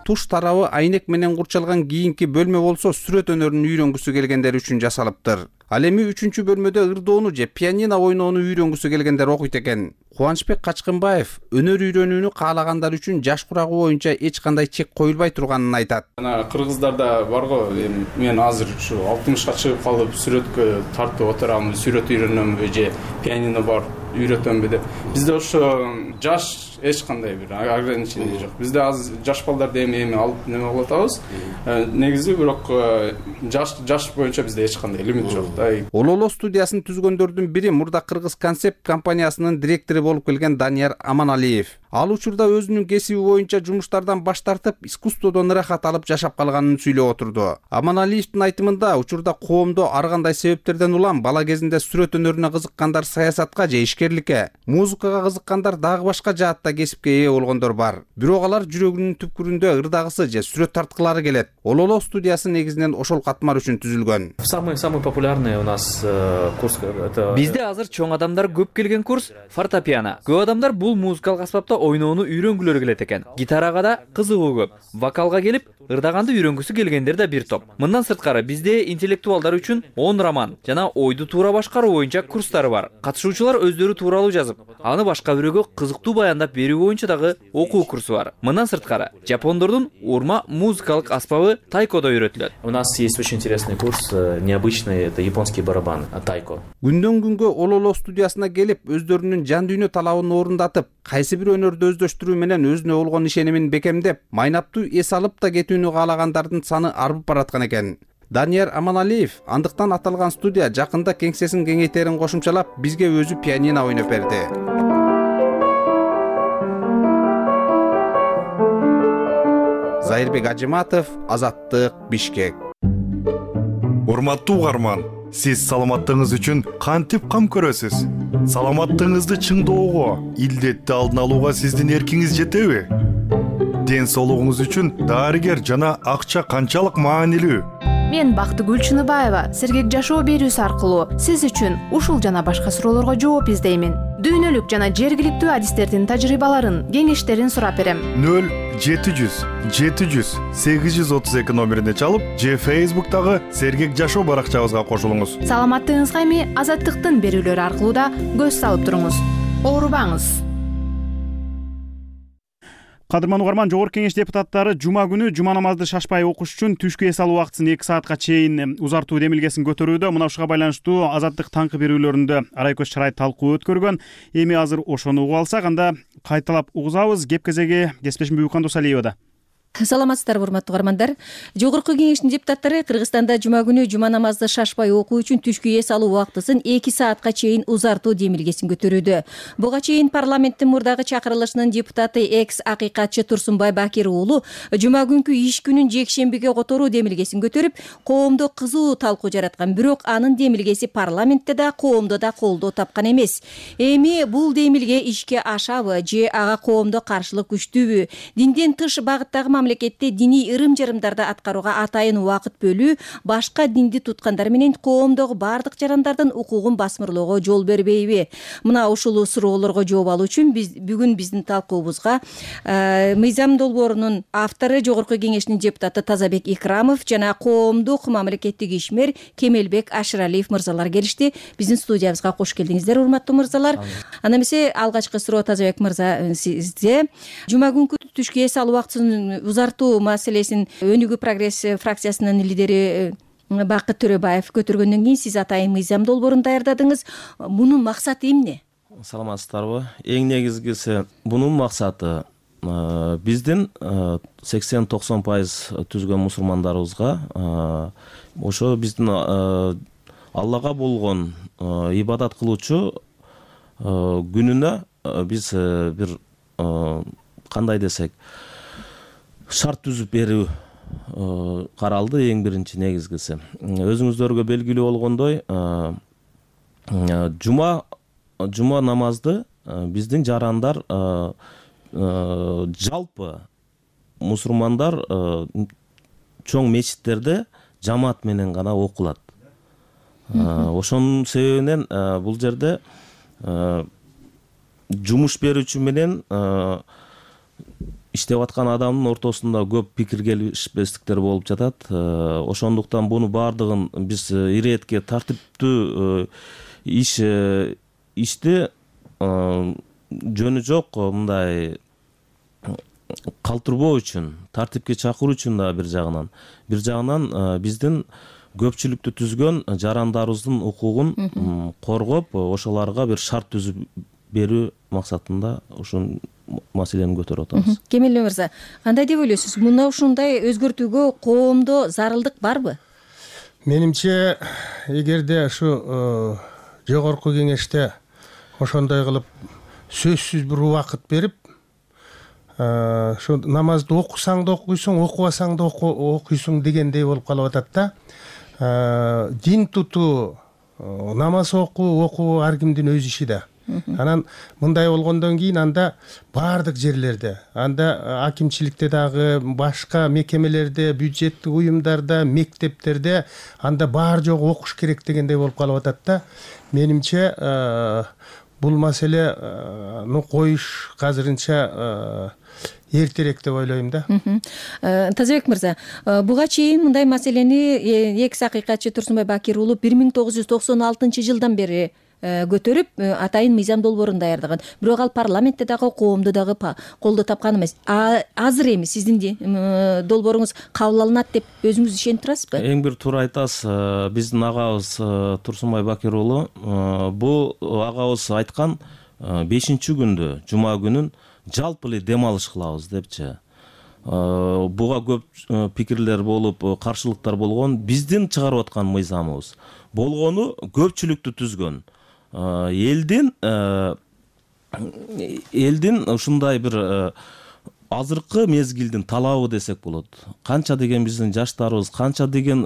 Туш тарабы айнек менен курчалган кийинки бөлмө болсо сүрөт өнөрүн үйрөнгүсү келгендер үчүн жасалыптыр. Ал эми 3-бөлмөдө ырдоону же пианино ойноону үйрөнгүсү келгендер окуйт экен. Кубанычбек Качкынбаев өнөр үйрөнүүнү каалагандар үчүн жаш курагы боюнча эч кандай чек коюлбай турганын айтат. Кыргыздарда барго, мен азыр ушу 60ка чыгып калып сүрөткө тартып отурамын, сүрөт үйрөнөмбү же пианино бар үйрөтөмбү деп. Бизде ошо жаш эч кандай бир ограничение жок. Бизде аз жаш балдарды эми алып неме кылып атабыз. Негизи бирок жаш боюнча бизде эч кандай лимит жок. Ололо студиясын түзгөндөрдүн бири мурда Кыргыз концепт компаниясынын директору болуп келген Данияр Аманалиев. Ал учурда өзүнүн кесиби боюнча жумуштардан баш тартып, искусстводон ырахат алып жашап калганын сүйлөп отурду. Аманалиевдин айтымында, учурда коомдо ар кандай себептерден улам бала кезинде сүрөт өнөрүнө кызыккандар саясатка же ишкерликке, музыкага кызыккандар дагы башка жаатта кесипке ээ болгондор бар. Бирок алар жүрөгүнүн түпкүрүндө ырдагысы же сүрөт тарткылары келет. Ололо студиясы негизинен ошол катмар үчүн түзүлгөн. Самый популярный у нас курс это. Бизде азыр чоң адамдар көп келген курс фортепиано. Көп адамдар бул музыкалык аспапта ойноону үйрөнгүлөрү келет экен. Гитарага да кызыгуу көп. Вокалга келип ырдаганды үйрөнгүсү келгендер да бир топ. Мындан сырткары бизде интеллектуалдар үчүн 10 роман жана ойду туура башкаруу боюнча курстары бар. Катышуучулар өздөрү тууралуу жазып, аны башка бирөөгө кызыктуу баяндап берүү боюнча дагы окуу курсу бар. Мындан сырткары жапондордун урма музыкалык аспабы тайкодо үйрөтүлөт. У нас есть очень интересный курс, необычный, это японский барабан, тайко. Күндөн күнгө Ололо студиясына келип, өздөрүнүн жан дүйнө талабын орундатып, кайсы бир өнөрдү өздөштүрүү менен өзүнө болгон ишенимин бекемдеп, майнаптуу эс алып да кетүүнү каалагандардын саны арбып бараткан экен. Данияр Аманалиев андыктан аталган студия жакында кеңсесин кеңейтерин кошумчалап, бизге өзү пианино ойноп берди. Зайырбек Ажыматов, Азаттык, Бишкек. Урматтуу угарман, сиз саламаттыгыңыз үчүн кантип кам көрөсүз? Саламаттыгыңызды чыңдоого, илдетти алдын алууга сиздин эркиңиз жетеби? Ден соолугуңуз үчүн дарыгер жана акча канчалык маанилүү? Мен Бактыгүл Чыныбаева Сергек жашоо берүүсү аркылуу сиз үчүн ушул жана башка суроолорго жооп издеймин. Дүйнөлүк жана жергиликтүү адистердин тажрыйбаларын, кеңештерин сурап берем. 0-700-832 номерине чалып, же Facebook'тагы Сергек жашоо баракчабызга кошулуңуз. Саламаттыгыңызга эми Азаттыктын берүүлөрү аркылуу да көз салып туруңуз. Оорубаңыз. Кадырман угарман, Жогорку Кеңеш депутаттары жума күнү жума намазды шашпай окуш үчүн түшкү эс алуу убактысын 2 саатка чейин узартуу демилгесин көтөрүүдө. Мына ушуга байланыштуу Азаттык таңкы берүүлөрүндө Арайкөз Чарай талкуу өткөргөн. Эми азыр ошону угуп алсак, анда кайталап угузабыз. Кеп кезеги кесиптешим Бүбүкан Досалиевада. Саламатсыздарбы, урматтуу угармандар. Жогорку Кеңештин депутаттары Кыргызстанда жума күнү жума намазды шашпай окуу үчүн түшкү эс алуу убактысын 2 саатка чейин узартуу демилгесин көтөрүүдө. Буга чейин парламенттин мурдагы чакырылышынын депутаты экс акыйкатчы Турсунбай Бакир уулу жума күнкү иш күнүн жекшембиге которуу демилгесин көтөрүп, коомдо кызуу талкуу жараткан. Бирок анын демилгеси парламентте да, коомдо да колдоо тапкан эмес. Эми бул демилге ишке ашабы же ага коомдо каршылык күчтүүбү? Динден тыш багыттагы мамлекетте диний ырым-жарымдарды аткарууга атайын убакыт бөлүү башка динди туткандар менен коомдогу бардык жарандардын укугун басмырлоого жол бербейби? Мына ушул суроолорго жооп алуу үчүн бүгүн биздин талкуубузга мыйзам долбоорунун автору, Жогорку Кеңештин депутаты Тазабек Икрамов жана коомдук мамлекеттик ишмер Кемелбек Ашыралиев мырзалар келишти. Биздин студиябызга кош келдиңиздер, урматтуу мырзалар. Анда эмесе алгачкы суроо Тазабек мырза сизге. Жума күнкү түшкү эс алуу убактысын узартуу маселесин Өнүгүү прогресс фракциясынын лидери Бакыт Төрөбаев көтөргөндөн кийин сиз атайын мыйзам долбоорун даярдадыңыз. Мунун максаты эмне? Саламатсыздарбы? Эң негизгиси бунун максаты биздин 80-90% түзгөн мусулмандарыбызга ошо биздин Аллага болгон ибадат кылуучу күнүнө биз бир кандай десек шарт түзүп берүү каралды. Эң биринчи негизгиси өзүңүздөргө белгилүү болгондой жума намазды биздин жарандар жалпы мусулмандар чоң мечиттерде жамаат менен гана окулат. Ошонун себебинен бул жерде жумуш берүүчү менен иштеп аткан адамдын ортосунда көп пикир келишпестиктер болуп жатат. Ошондуктан буну баардыгын биз иретке тартиптүү ишти жөнү жок мындай калтырбоо үчүн, тартипке чакыруу үчүн да бир жагынан биздин көпчүлүктү түзгөн жарандарыбыздын укугун коргоп, ошолорго бир шарт түзүп берүү максатында ушул маселени көтөрүп атабыз. Кемел мырза, кандай деп ойлойсуз? Мына ушундай өзгөртүүгө коомдо зарылдык барбы? Менимче, эгерде ушу Жогорку Кеңеште ошондой кылып сөзсүз бир убакыт берип, ошо намазды окусаң да окуйсуң, окубасаң да окуйсуң дегендей болуп калып атат да. Дин тутуу, намаз окуу ар кимдин өз иши да. Анан мындай болгондон кийин анда баардык жерлерде, анда акимчиликте дагы, башка мекемелерде, бюджеттик уюмдарда, мектептерде анда баары жогу окуш керек дегендей болуп калып атат да. Менимче бул маселени коюш азырынча эртерээк деп ойлойм да. Тазабек мырза, буга чейин мындай маселени экс акыйкатчы Турсунбай Бакир уулу 1996-жылдан бери көтөрүп, атайын мыйзам долбоорун даярдаган. Бирок ал парламентте дагы, коомдо дагы колдоо тапкан эмес. Азыр эми сиздин долбооруңуз кабыл алынат деп өзүңүз ишенип турасызбы? Эң бир туура айтасыз. Биздин агабыз Турсунбай Бакир уулу бул агабыз айткан 5-күндө, жума күнүн жалпы эле дем алыш кылабыз депчи. Буга көп пикирлер болуп, каршылыктар болгон. Биздин чыгарып аткан мыйзамыбыз болгону көпчүлүктү түзгөн. Элдин ушундай бир азыркы мезгилдин талабы десек болот. Канча деген биздин жаштарыбыз, канча деген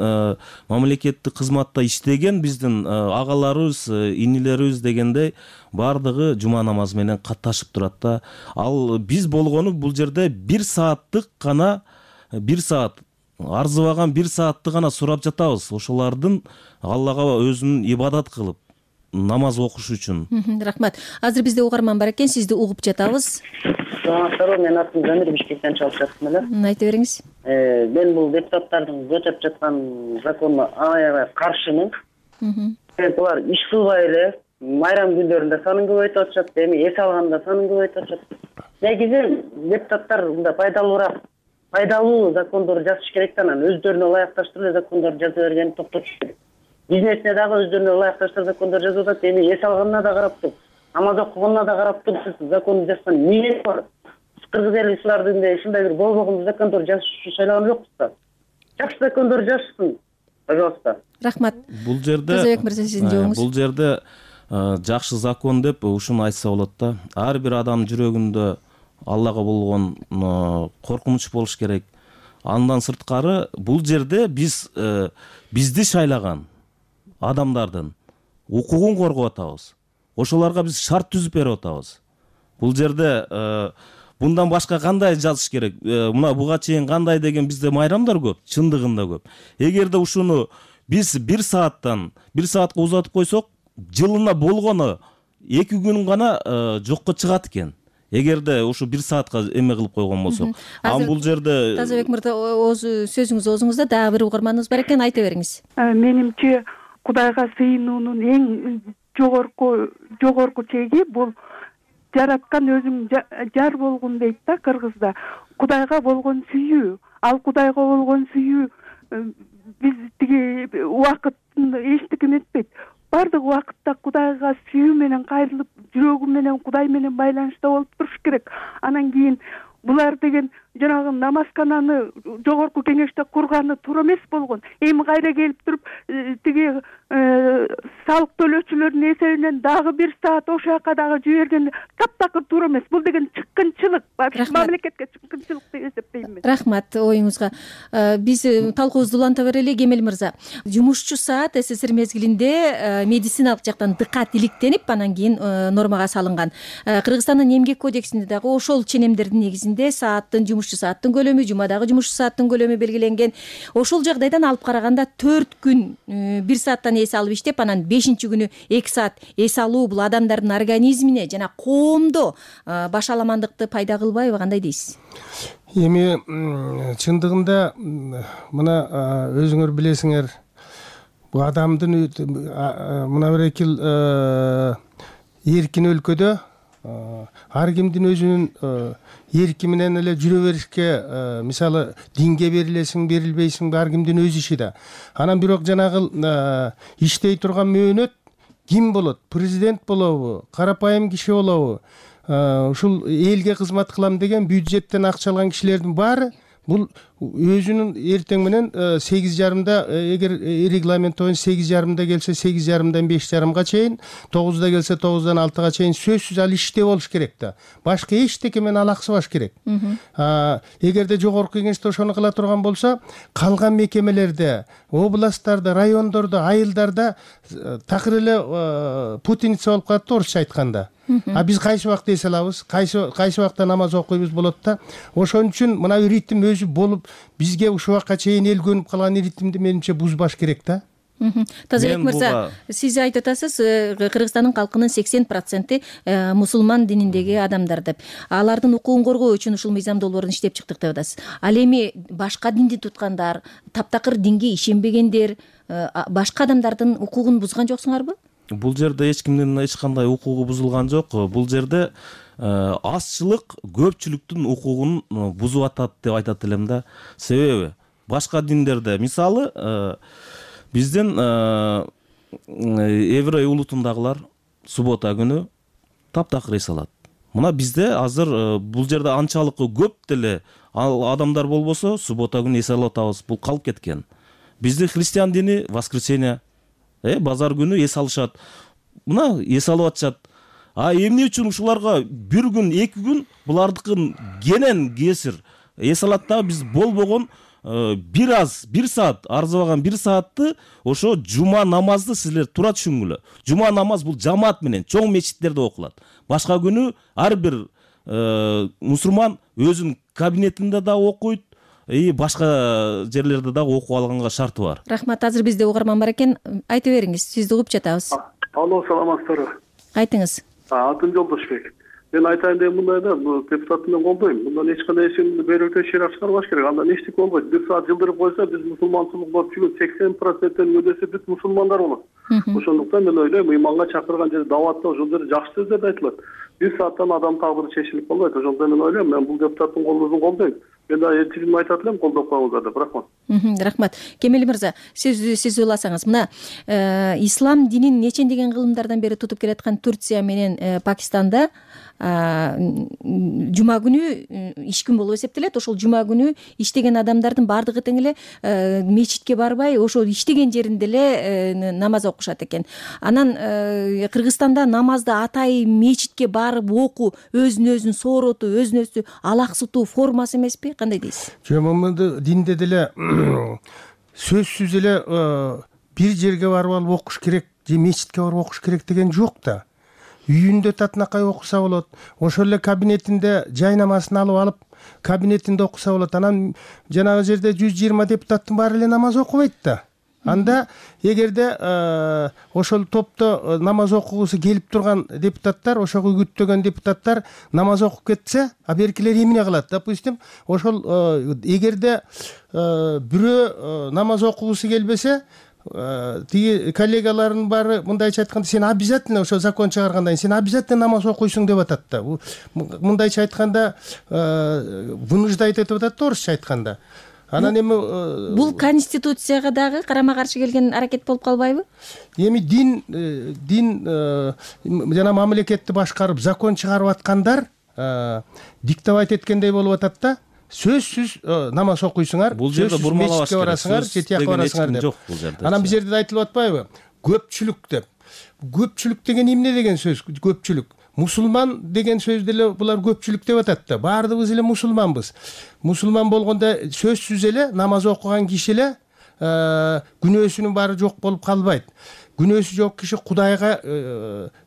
мамлекеттик кызматта иштеген биздин агаларыбыз, инилерибиз дегендей бардыгы жума намазы менен катташып турат да. Ал биз болгону бул жерде 1 сааттык гана 1 саат арзыбаган 1 саатты гана сурап жатабыз. Ошолардын Аллага өзүнүн ибадат кылып намаз окуш үчүн. Рахмат. Азыр бизде угарман бар экен, сизди угуп жатабыз. Саламатсыздарбы, мен атым Замир, Бишкектен чалып жатырмын эле. Айта бериңиз. Мен бул депутаттардын көтөрүп жаткан законуна аябай каршымын. Булар иш кылбай эле майрам күндөрүндө санын көбөйтүп атышат, эми эс алганда санын көбөйтүп атышат. Негизи депутаттар мындай пайдалуу закондорду жазыш керек да, анан өздөрүнө ылайыкташтырып эле закондорду жаза бергенин токтотуш керек. Бизнесине дагы өздөрүнө ылайыкташтырып закондор жазып атат, эми эс алганына да карап туруп, намаз окуганына да карап туруп сиз законду жазган эмнеси бар? Кыргыз эли силердин ушундай бир болбогон закондор жазыш үчүн шайланган жокпуз да. Жакшы закондор жазышсын, пожалуйста. Рахмат. Бул жерде Тазабек мырза, сиздин жообуңуз. Бул жерде жакшы закон деп ушуну айтса болот да. Ар бир адамдын жүрөгүндө Аллага болгон коркунуч болуш керек. Андан сырткары бул жерде бизди шайлаган адамдардын укугун коргоп атабыз. Ошолорго биз шарт түзүп берип атабыз. Бул жерде мындан башка кандай жазыш керек? Мына буга чейин кандай деген бизде майрамдар көп, чындыгында көп. Эгерде ушуну биз 1 саатка узатып койсок, жылына болгону 2 күн гана жокко чыгат экен. Эгерде ушу 1 саатка эме кылып койгон болсок. Бул жерде Тазабек мырза, сөзүңүз оозуңузда, дагы бир угарманыбыз бар экен, айта бериңиз. Менимче Кудайга сыйынуунун эң жогорку чеги бул жараткан өзүң жар болгун дейт да кыргызда. Кудайга болгон сүйүү, ал Кудайга болгон сүйүү биз тиги убакыттын эчтеке этпейт. Бардык убакытта Кудайга сүйүү менен кайрылып, жүрөгү менен Кудай менен байланышта болуп туруш керек. Анан кийин булар деген жанагы намазкананы жогорку кеңеште курганы туура эмес болгон. Эми кайра келип туруп тиги салык төлөөчүлөрдүн эсебинен дагы 1 саат ошол жака дагы жиберген таптакыр туура эмес. Бул деген чыккынчылык, мамлекетке чыккынчылык деп эсептейм мен. Рахмат оюңузга. Биз талкуубузду уланта берели, Кемел мырза. Жумушчу саат СССР мезгилинде медициналык жактан дыкат иликтенип, анан кийин нормага салынган. Кыргызстандын эмгек кодексинде дагы ошол ченемдердин негизинде сааттын, жумушчу сааттын көлөмү, жумадагы жумушчу сааттын көлөмү белгиленген. Ошол жагдайдан алып караганда 4 күн 1 сааттан эс алып иштеп, анан 5-күнү 2 саат эс алуу бул адамдардын организмине жана коомдо башаламандыкты пайда кылбайбы, кандай дейсиз? Эми чындыгында мына өзүңөр билесиңер, бул адамдын мына бир эки эркин өлкөдө ар кимдин өзүнүн эрки менен эле жүрө беришке, мисалы динге берилесиң, берилбейсиң, ар кимдин өз иши да. Анан бирок жанагы иштей турган мөөнөт ким болот? Президент болобу? Карапайым киши болобу? Ушул элге кызмат кылам деген бюджеттен акча алган кишилердин баары бул өзүнүн эртең менен 8:30-да, эгер регламент боюнча 8:30-да келсе 8:30-дан 5:30-га чейин, 9-да келсе 9-дан 6-га чейин сөзсүз ал иште болуш керек да. Башка эчтеке менен алаксыбаш керек. Эгерде жогорку кеңеште ошону кыла турган болсо, калган мекемелерде, областтарда, райондордо, айылдарда такыр эле путаница болуп калат да, орусча айтканда. Биз кайсы убакта эс алабыз, кайсы убакта намаз окуйбуз болот да. Ошон үчүн мына ритм өзү болуп, бизге ушул убакка чейин эл көнүп калган ритмди менимче бузбаш керек да. Тазабек мырза, сиз айтып атасыз, Кыргызстандын калкынын 80% мусулман дининдеги адамдар деп. Алардын укугун коргоо үчүн ушул мыйзам долбоорун иштеп чыктык деп атасыз. Ал эми башка динди туткандар, таптакыр динге ишенбегендер, башка адамдардын укугун бузган жоксуңарбы? Бул жерде эч кимдин эч кандай укугу бузулган жок. Бул жерде азчылык көпчүлүктүн укугун бузуп атат деп айтат элем да. Себеби башка диндерде, мисалы, биздин еврей улутундагылар суббота күнү таптакыр эс алат. Мына бизде азыр бул жерде анчалык көп деле адамдар болбосо, суббота күнү эс алып атабыз. Бул калып кеткен. Бизде христиан дини воскресенье, базар күнү эс алышат. Мына эс алып атышат. Эмне үчүн ушуларга 1 күн, 2 күн булардыкын кенен кесир эс алат да, биз болбогон 1 саат, арзыбаган 1 саатты ошо жума намазды силер туура түшүнгүлө. Жума намаз бул жамаат менен чоң мечиттерде окулат. Башка күнү ар бир мусулман өзүнүн кабинетинде да окуйт, и башка жерлерде дагы окуп алганга шарты бар. Рахмат. Азыр бизде угарман бар экен. Айта бериңиз, сизди угуп жатабыз. Алло, саламатсыздарбы? Айтыңыз. Атым Жолдошбек. Мен айтайын деген мындай да, бул депутатты мен колдойм. Мындан эч кандай эшин берүүтө ширак чыгарбаш керек. Андан эчтеке болбойт. Бир саат жылдырып койсо, биз мусулманчылык болуп жүргөн 80%-тен өдөсү бүт мусулмандар болот. Ошондуктан мен ойлойм, ыйманга чакырган жерде даватта ошол жерде жакшы сөздөр айтылат. Бир сааттан адам тагдыры чечилип болбойт. Ошондуктан мен ойлойм, мен бул депутаттын колдоосун колдойм. Мен да элчилигиме айтат элем, колдоп коюңуздар деп. Рахмат. Рахмат. Кемел мырза, сиз уйласаңыз, мына ислам динин нечендеген кылымдардан бери тутуп келаткан Турция менен Пакистанда жума күнү иш күн болуп эсептелет. Ошол жума күнү иштеген адамдардын баардыгы тең эле мечитке барбай, ошол иштеген жеринде эле намаз окушат экен. Анан Кыргызстанда намазды атайын мечитке барып окуу өзүн сооротуу, өзүн алаксытуу формасы эмеспи? Кандай дейсиз? Жок, момунду динде деле сөзсүз эле бир жерге барып алып окуш керек же мечитке барып окуш керек деген жок да. Үйүндө татынакай окуса болот. Ошол эле кабинетинде жай намазын алып кабинетинде окуса болот. Анан жанагы жерде 120 депутаттын баары эле намаз окубайт да. Анда эгерде ошол топто намаз окугусу келип турган депутаттар, ошого үгүттөгөн депутаттар намаз окуп кетсе, беркилер эмне кылат? Допустим, ошол эгерде бирөө намаз окугусу келбесе, тиги коллегаларынын баары мындайча айтканда сен обязательно ошо закон чыгаргандан кийин сен обязательно намаз окуйсуң деп атат да. Мындайча айтканда вынуждать этип атат да, орусча айтканда. Анан эми бул конституцияга дагы карама-каршы келген аракет болуп калбайбы? Эми дин жана мамлекетти башкарып закон чыгарып аткандар диктовать эткендей болуп атат да. Сөзсүз намаз окуйсуңар, бул жерде бурмалабаш керек. Барасыңар, же тияка барасыңар деп. Анан бул жерде айтылып атпайбы? Көпчүлүк деп. Көпчүлүк деген эмне деген сөз? Көпчүлүк. Мусулман деген сөз деле булар көпчүлүк деп атат да. Баардыгыбыз эле мусулманбыз. Мусулман болгондо сөзсүз эле намаз окуган киши эле күнөөсүнүн баары жок болуп калбайт. Күнөөсү жок киши Кудайга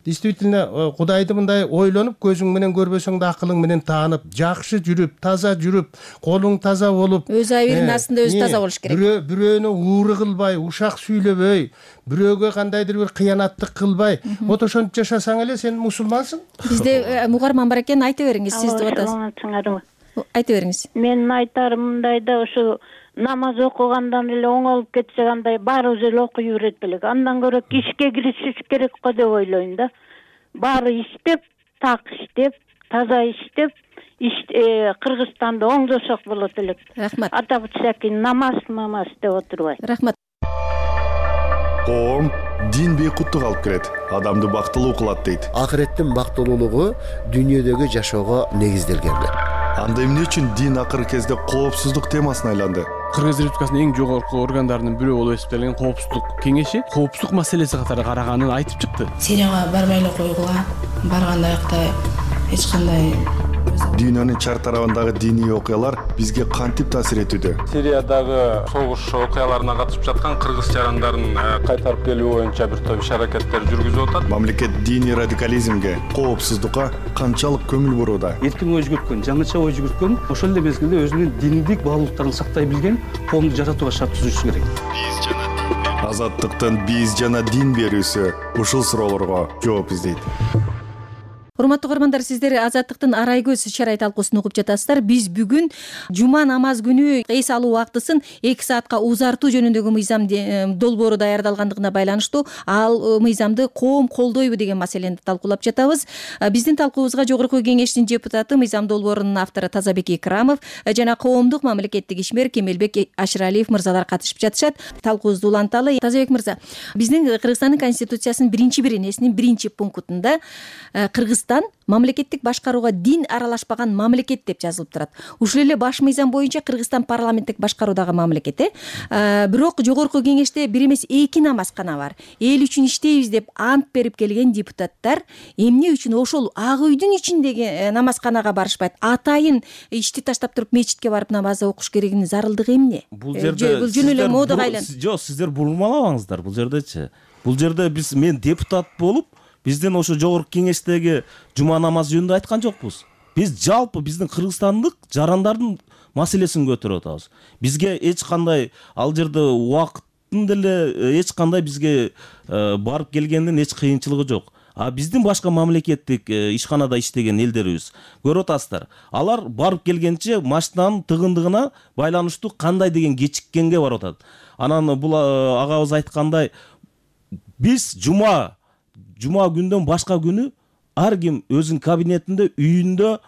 действительно Кудайды мындай ойлонуп, көзүң менен көрбөсөң да акылың менен таанып, жакшы жүрүп, таза жүрүп, колуң таза болуп, өз айыбынын астында өзү таза болуш керек. Бирөөнү ууру кылбай, ушак сүйлөбөй, бирөөгө кандайдыр бир кыянаттык кылбай, вот ошентип жашасаң эле сен мусулмансың. Бизде угарман бар экен, айта бериңиз, сиз деп атасыз. Айта бериңиз. Менин айтарым мындай да, ошо намаз окугандан эле оңолуп кетсе кандай, баарыбыз эле окуй берет белек. Андан көрө ишке киришиш керек го деп ойлойм да. Баары иштеп, так иштеп, таза иштеп, Кыргызстанды оңдосок болот элек. Рахмат. Атап өтсөк, намаз деп отурбай. Рахмат. Коом дин бейкуттук алып келет, адамды бактылуу кылат дейт. Акыреттин бактылуулугу дүйнөдөгү жашоого негизделген. Анда эмне үчүн дин акыркы кезде коопсуздук темасына айланды? Кыргыз Республикасынын эң жогорку органдарынын бирөө болуп эсептелген коопсуздук кеңеши коопсуздук маселеси катары караганын айтып чыкты. Сирияга барбай эле койгула, барганда аякта эч кандай Дүйнөнүн чар тарабындагы диний окуялар бизге кантип таасир этүүдө? Сириядагы согуш окуяларына катышып жаткан кыргыз жарандарын кайтарып келүү боюнча бир топ иш-аракеттер жүргүзүп атат. Мамлекет диний радикализмге, коопсуздукка канчалык көңүл бурууда? Эркин ой жүгүрткөн, жаңыча ой жүгүрткөн, ошол эле мезгилде өзүнүн диндик баалуулуктарын сактай билген коомду жаратууга шарт түзүшү керек. Азаттыктын биз жана дин берүүсү ушул суроолорго жооп издейт. Урматтуу угармандар, сиздер Азаттыктын арай көз чарай талкуусун угуп жатасыздар. Биз бүгүн жума намаз күнү эс алуу убактысын 2 саатка узартуу жөнүндөгү мыйзам долбоору даярдалгандыгына байланыштуу ал мыйзамды коом колдойбу деген маселени талкуулап жатабыз. Биздин талкуубузга жогорку кеңештин депутаты, мыйзам долбоорунун автору Тазабек Икрамов жана коомдук мамлекеттик ишмер Кемелбек Ашыралиев мырзалар катышып жатышат. Талкуубузду уланталы. Тазабек мырза, биздин Кыргызстандын конституциясынын биринчи иринесинин биринчи пунктунда Кыргызстан мамлекеттик башкарууга дин аралашпаган мамлекет деп жазылып турат. Ушул эле баш мыйзам боюнча Кыргызстан парламенттик башкаруудагы мамлекет. Бирок жогорку кеңеште бир эмес 2 намаз гана бар. Эл үчүн иштейбиз деп ант берип келген депутаттар эмне үчүн ошол ак үйдүн ичиндеги намазканага барышпайт? Атайын ишти таштап туруп мечитке барып намаз окуш керегинин зарылдыгы эмне? Бул жерде бул жөн эле модага айланды. Жок, сиздер бурмалабаңыздар. Бул жердечи. Бул жерде мен депутат болуп бизден ошо жогорку кеңештеги жума намазы жөнүндө айткан жокпуз. Биз жалпы биздин кыргызстандык жарандардын маселесин көтөрүп атабыз. Бизге эч кандай ал жерде убакыттын деле эч кандай бизге барып келгендин эч кыйынчылыгы жок. Биздин башка мамлекеттик ишканада иштеген элдерибиз көрүп атасыздар. Алар барып келгенче машинанын тыгындыгына байланыштуу кандай деген кечиккенге барып атат. Анан бул агабыз айткандай биз жума күндөн башка күнү ар ким өзүнүн кабинетинде, үйүндө,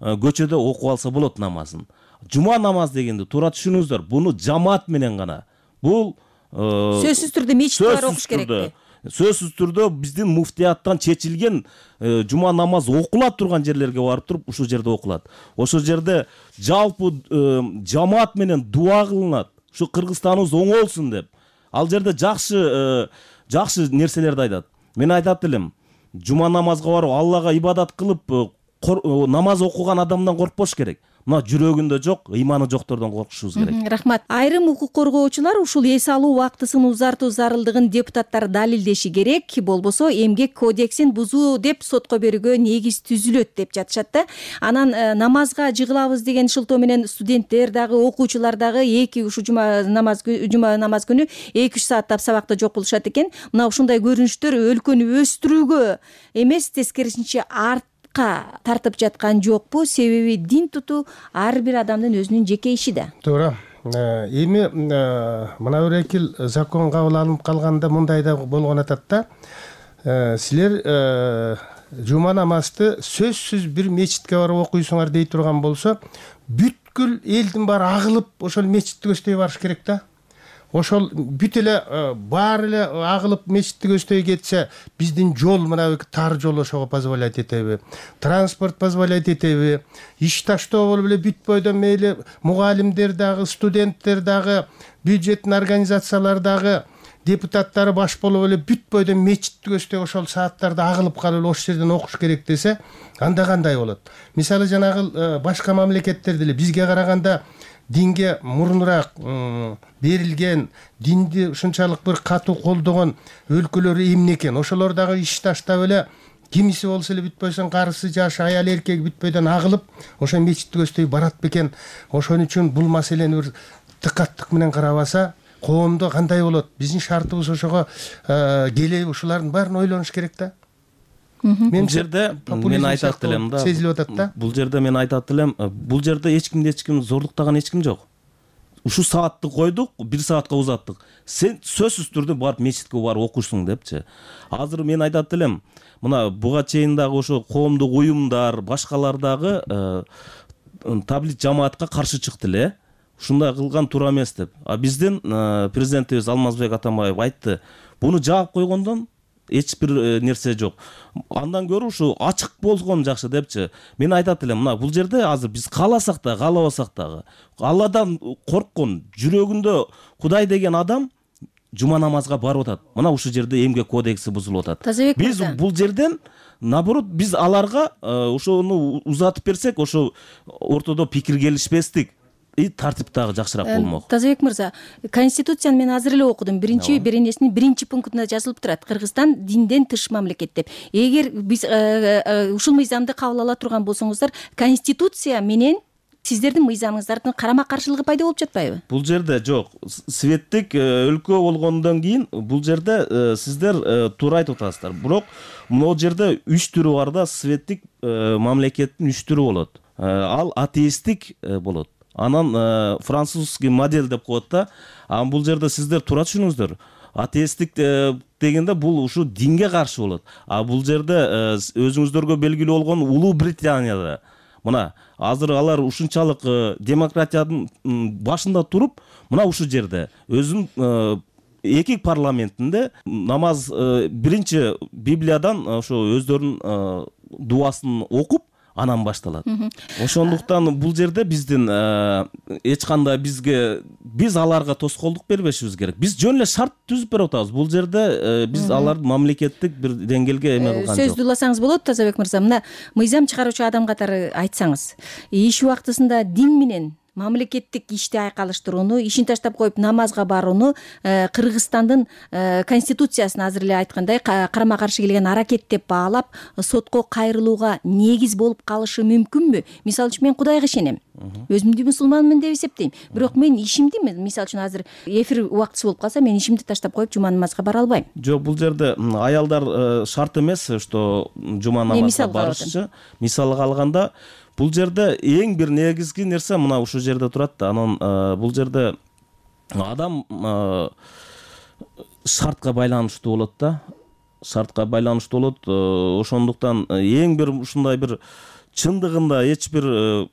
көчөдө окуп алса болот намазын. Жума намаз дегенди туура түшүнүңүздөр. Буну жамаат менен гана. Бул сөзсүз түрдө мечитте бар окуш керекпи? Сөзсүз түрдө биздин муфтияттан чечилген жума намаз окулат турган жерлерге барып туруп ушул жерде окулат. Ошол жерде жалпы жамаат менен дуа кылынат. Ушу Кыргызстаныбыз оңолсун деп. Ал жерде жакшы нерселерди айтат. Мен айтат элем, жума намазга барып Аллага ибадат кылып намаз окуган адамдан коркпош керек. Мына жүрөгүндө жок, ыйманы жоктордон коркушубуз керек. Рахмат. Айрым укук коргоочулар ушул эс алуу убактысын узартуу зарылдыгын депутаттар далилдеши керек, болбосо эмгек кодексин бузуу деп сотко берүүгө негиз түзүлөт деп жатышат да. Анан намазга жыгылабыз деген шылтоо менен студенттер дагы, окуучулар дагы ушу жума намаз күнү 2-3 сааттап сабакта жок болушат экен. Мына ушундай көрүнүштөр өлкөнү өстүрүүгө эмес, тескерисинче тартып жаткан жокпу? Себеби дин тутуу ар бир адамдын өзүнүн жеке иши да. Туура. Эми мына бир эки закон кабыл алынып калганда мындай да болгон атат да. Силер жума намазды сөзсүз бир мечитке барып окуйсуңар дей турган болсо, бүткүл элдин баары агылып ошол мечитти көздөй барыш керек да. Ошол бүт эле баары эле агылып мечитти көздөй кетсе, биздин жол мына тар жол ошого позволять этеби? Транспорт позволять этеби? Иш таштоо болуп эле бүт бойдон мейли мугалимдер дагы, студенттер дагы, бюджеттин организациялар дагы, депутаттары баш болуп эле бүт бойдон мечитти көздөй ошол сааттарда агылып калып ошол жерден окуш керек десе, анда кандай болот? Мисалы жанагы башка мамлекеттерде эле бизге караганда динге мурунураак берилген, динди ушунчалык бир катуу колдогон өлкөлөр эмне экен? Ошолор дагы иш таштап эле кимиси болсо эле бүт бойдон карысы, жаш, аял, эркек бүт бойдон агылып ошо мечитти көздөй барат бекен. Ошон үчүн бул маселени бир дыкаттык менен карабаса, коомдо кандай болот? Биздин шартыбыз ошого келеби? Ушулардын баарын ойлонуш керек да. Бул жерде мен айтат элем да. Сезилип атат да. Бул жерде мен айтат элем, бул жерде эч ким зордуктаган эч ким жок. Ушу саатты койдук, 1 саатка узаттык. Сен сөзсүз түрдө барып мечитке барып окушсуң депчи. Азыр мен айтат элем, мына буга чейин дагы ошо коомдук уюмдар, башкалар дагы таблит жамаатка каршы чыкты эле. Ушундай кылган туура эмес деп. Биздин президентибиз Алмазбек Атамбаев айтты, буну жаап койгондон эч бир нерсе жок. Андан көрө ушу ачык болгон жакшы депчи. Мен айтат элем, мына бул жерде азыр биз кааласак да, каалабасак дагы Алладан корккон, жүрөгүндө Кудай деген адам жума намазга барып атат. Мына ушул жерде эмгек кодекси бузулуп атат. Биз бул жерден наоборот биз аларга ошону узатып берсек, ошо ортодо пикир келишпестик тартип дагы жакшыраак болмок. Тазабек мырза, Конституцияны мен азыр эле окудум. Беренесинин 1-пунктунда жазылып турат: Кыргызстан динден тыш мамлекет деп. Эгер биз ушул мыйзамды кабыл ала турган болсоңуздар, Конституция менен сиздердин мыйзамыңыздардын карама-каршылыгы пайда болуп жатпайбы? Бул жерде жок. Светтик өлкө болгондон кийин бул жерде сиздер туура айтып атасыздар. Бирок могу жерде 3 түрү бар да, светтик мамлекеттин 3 түрү болот. Ал атеисттик болот. Анан французский модель деп коет да. Бул жерде сиздер туура түшүнүңүздөр. Атеисттик дегенде бул ушу динге каршы болот. Бул жерде өзүңүздөргө белгилүү болгон Улуу Британияда мына азыр алар ушунчалык демократиянын башында туруп, мына ушул жерде өзүнүн эки парламентинде намаз биринчи Библиядан ошо өздөрүнүн дуасын окуп анан башталат. Ошондуктан бул жерде биздин эч кандай биз аларга тоскоолдук бербешибиз керек. Биз жөн эле шарт түзүп берип атабыз. Бул жерде биз аларды мамлекеттик бир деңгээлге эме кылган жок. Сөздү уласаңыз болот, Тазабек мырза. Мына мыйзам чыгаруучу адам катары айтсаңыз, иш убактысында дин менен мамлекеттик ишти айкалыштырууну, ишин таштап коюп намазга барууну Кыргызстандын конституциясына азыр эле айткандай карама каршы келген аракет деп баалап, сотко кайрылууга негиз болуп калышы мүмкүнбү? Мисалы үчүн мен Кудайга ишенем. Өзүмдү мусулманмын деп эсептейм. Бирок мен ишимди, мисалы үчүн азыр эфир убактысы болуп калса, мен ишимди таштап коюп жума намазга бара албайм. Жок, бул жерде аялдар шарт эмес, что жума намазга барышчы. Мисалга алганда, бул жерде эң бир негизги нерсе мына ушул жерде турат да. Анан бул жерде адам шартка байланыштуу болот да. Шартка байланыштуу болот. Ошондуктан эң бир ушундай бир чындыгында эч бир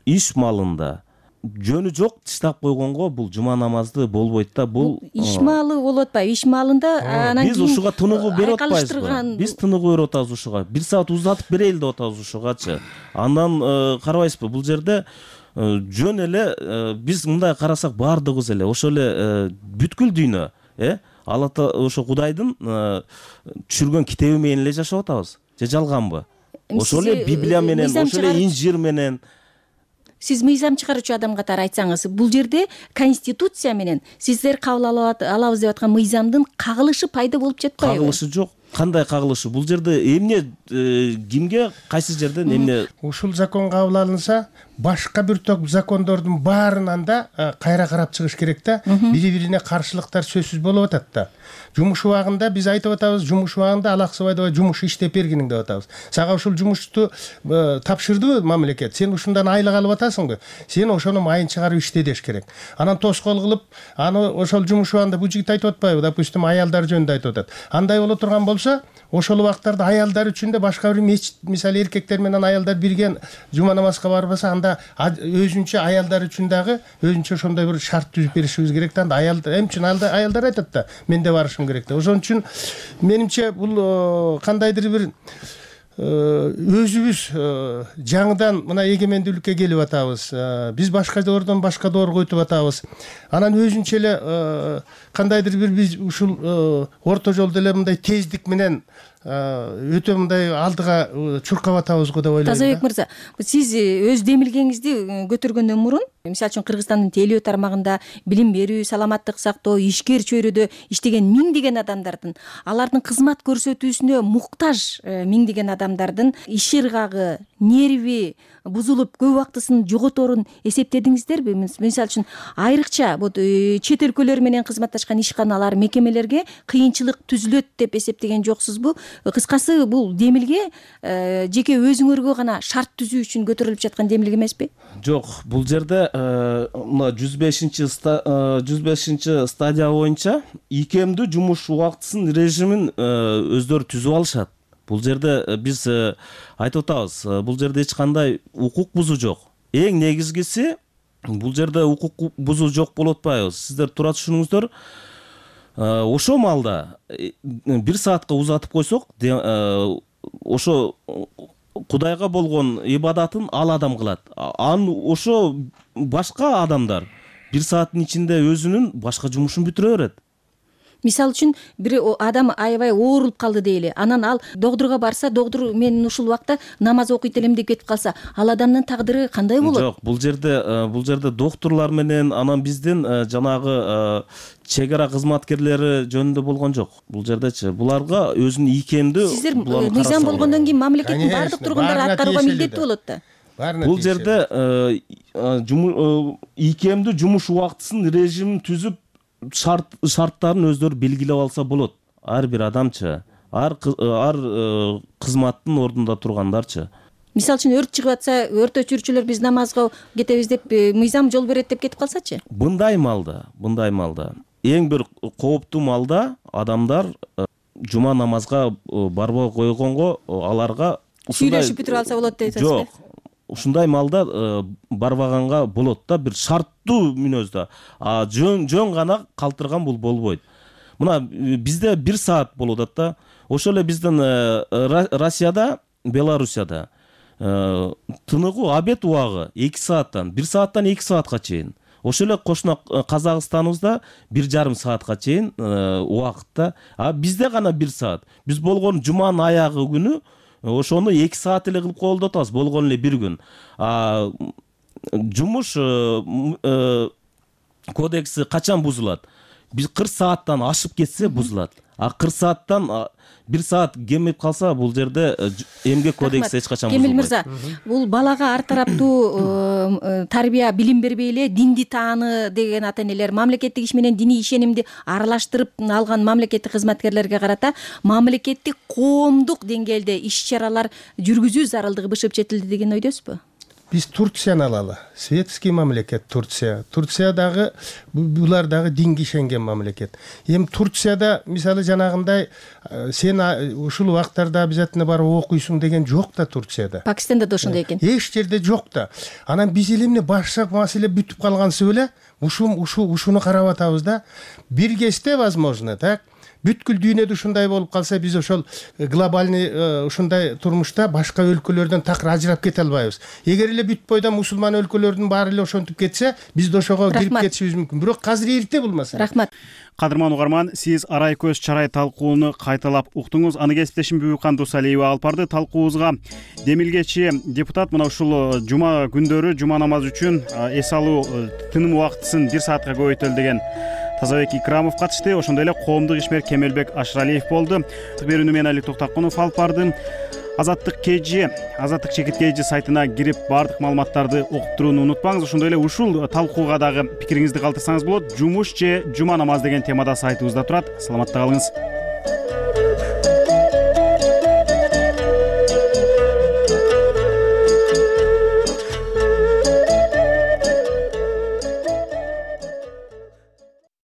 иш малында жөнү жок таштап койгонго бул жума намазды болбойт да. Бул иш малы болуп атпайбы? Иш малында анан биз ушуга тыныгуу берип атпайбызбы? Биз тыныгуу берип атабыз ушуга. 1 саат узатып берейли деп атабыз ушугачы. Андан карабайсызбы? Бул жерде жөн эле биз мындай карасак баардыгыбыз эле ошол эле бүткүл дүйнө, Алла ошо Кудайдын түшүргөн китеби менен эле жашап атабыз. Же жалганбы? Ошол эле Библия менен, ошол эле Инжир менен. Сиз мыйзам чыгаруучу адам катары айтсаңыз, бул жерде конституция менен сиздер кабыл алабыз деп аткан мыйзамдын кагылышы пайда болуп жатпайбы? Кагылышы жок. Кандай кагылышы? Бул жерде эмне кимге кайсы жерден эмне? Ушул закон кабыл алынса, башка бир топ закондордун баарынан да кайра карап чыгыш керек да. Бири-бирине каршылыктар сөзсүз болуп атат да. Жумуш убагында биз айтып атабыз, жумуш убагында алаксыбайдыбай жумуш иштеп бергиниң деп атабыз. Сага ушул жумушту тапшырдыбы мамлекет? Сен ушундан айлык алып атасыңбы? Сен ошону майын чыгарып иште деш керек. Анан тоскоол кылып, аны ошол жумуш убагында бул жигит айтып атпайбы? Допустим, аялдар жөнүндө айтып атат. Андай боло турган болсо, ошол убактарда аялдар үчүн да башка бир мечит, мисалы эркектер менен аялдар бирге жума намазга барбаса, анда өзүнчө аялдар үчүн дагы өзүнчө ошондой бир шарт түзүп беришибиз керек да. Анда аялдар эмчин аялдар айтат да, мен да барышым керек да. Ошон үчүн менимче бул кандайдыр бир өзүбүз жаңыдан мына эгемендүүлүккө келип атабыз. Биз башка доордон башка доор койтуп атабыз. Анан өзүнчө эле кандайдыр бир биз ушул орто жолдо эле мындай тездик менен өтө мындай алдыга чуркап атабыз го деп ойлойм. Тазабек мырза, сиз өз демилгеңизди көтөргөндөн мурун, мисалы үчүн Кыргызстандын телөө тармагында билим берүү, саламаттык сактоо, ишкер чөйрөдө иштеген миңдеген адамдардын, алардын кызмат көрсөтүүсүнө муктаж миңдеген адамдардын иш ыргагы, нерви бузулуп көп убактысын жоготорун эсептедиңиздерби? Мисалы үчүн айрыкча чет өлкөлөр менен кызматташкан ишканалар, мекемелерге кыйынчылык түзүлөт деп эсептеген жоксузбу? Кыскасы, бул демилге жеке өзүңөргө гана шарт түзүү үчүн көтөрүлүп жаткан демилге эмеспи? Жок, бул жерде мына 105 стадия боюнча ийкемдүү жумуш убактысын режимин өздөрү түзүп алышат. Бул жерде биз айтып атабыз, бул жерде эч кандай укук бузуу жок. Эң негизгиси, бул жерде укук бузуу жок болуп атпайбы? Сиздер туура түшүнүңүздөр. Ошо маалда 1 саатка узатып койсок, ошо Кудайга болгон ибадатын ал адам кылат. Ошо башка адамдар 1 сааттын ичинде өзүнүн башка жумушун бүтүрө берет. Мисалы үчүн бир адам аябай оорулуп калды дейли. Анан ал доктурга барса, доктур мен ушул убакта намаз окуйт элем деп кетип калса, ал адамдын тагдыры кандай болот? Жок, бул жерде доктурлар менен анан биздин жанагы чегара кызматкерлери жөнүндө болгон жок. Бул жердечи буларга өзүнүн ийкемдүү сиздер мыйзам болгондон кийин мамлекеттин баардык тургундары аткарууга милдеттүү болот да. Бул жерде ийкемдүү жумуш убактысын режимин түзүп шарттарын өздөрү белгилеп алса болот. Ар бир адамчы, ар кызматтын ордунда тургандарчы. Мисалы үчүн өрт чыгып атса, өрт өчүрүүчүлөр биз намазга кетебиз деп мыйзам жол берет деп кетип калсачы? Мындай маалда эң бир кооптуу маалда адамдар жума намазга барбай койгонго аларга сүйлөшүп бүтүрүп алса болот дейсизби? Жок. Ушундай маалда барбаганга болот да, бир шарттуу мүнөздө. Жөн гана калтырган бул болбойт. Мына бизде 1 саат болуп атат да. Ошол эле биздин Россияда, Белоруссияда тыныгуу обед убагы 2 сааттан, 1 сааттан 2 саатка чейин. Ошол эле кошуна Казакстаныбызда 1,5 саатка чейин убакытта. Бизде гана 1 саат. Биз болгон жуманын аягы күнү ошону 2 саат эле кылып коелу деп атабыз, болгон эле 1 күн. жумуш кодекси качан бузулат? 40 сааттан ашып кетсе бузулат. 40 сааттан 1 саат кемип калса бул жерде эмгек кодекси эч качан бузулбайт. Кемил мырза, бул балага ар тараптуу тарбия, билим бербей эле динди тааны деген ата энелер, мамлекеттик иш менен диний ишенимди аралаштырып алган мамлекеттик кызматкерлерге карата мамлекеттик коомдук деңгээлде иш-чаралар жүргүзүү зарылдыгы бышып жетилди деген ойдосузбу? Биз Турцияны алалы. Светский мамлекет Турция. Турция дагы булар дагы динге ишенген мамлекет. Эми Турцияда мисалы жанагындай сен ушул убактарда обязательно барып окуйсуң деген жок да Турцияда. Пакистанда да ошондой экен. Эч жерде жок да. Анан биз эле башка маселе бүтүп калгансып эле ушуну карап атабыз да. Бир кезде возможно, так? Бүткүл дүйнөдө ушундай болуп калса биз ошол глобальный ушундай турмушта башка өлкөлөрдөн такыр ажырап кете албайбыз. Эгер эле бүт бойдон мусулман өлкөлөрдүн баары эле ошентип кетсе, биз да ошого кирип кетишибиз мүмкүн. Бирок азыр эрте булмаса. Рахмат. Кадырман угарман, сиз арай көз чарай талкууну кайталап уктуңуз. Аны кесиптешим Бүбүкан Дусалиева алып барды. Талкуубузга демилгечи депутат мына ушул жума күндөрү жума намазы үчүн эс алуу тыным убактысын 1 саатка көбөйтөлү деген Тазабек Икрамов катышты. Ошондой эле коомдук ишмер Кемелбек Ашыралиев болду. Берүүнү мен Алик Токтакунов алып бардым. Азаттык чекит KG сайтына кирип баардык маалыматтарды окуп турууну унутпаңыз. Ошондой эле ушул талкууга дагы пикириңизди калтырсаңыз болот. Жумуш же жума намаз деген темада сайтыбызда турат. Саламатта калыңыз.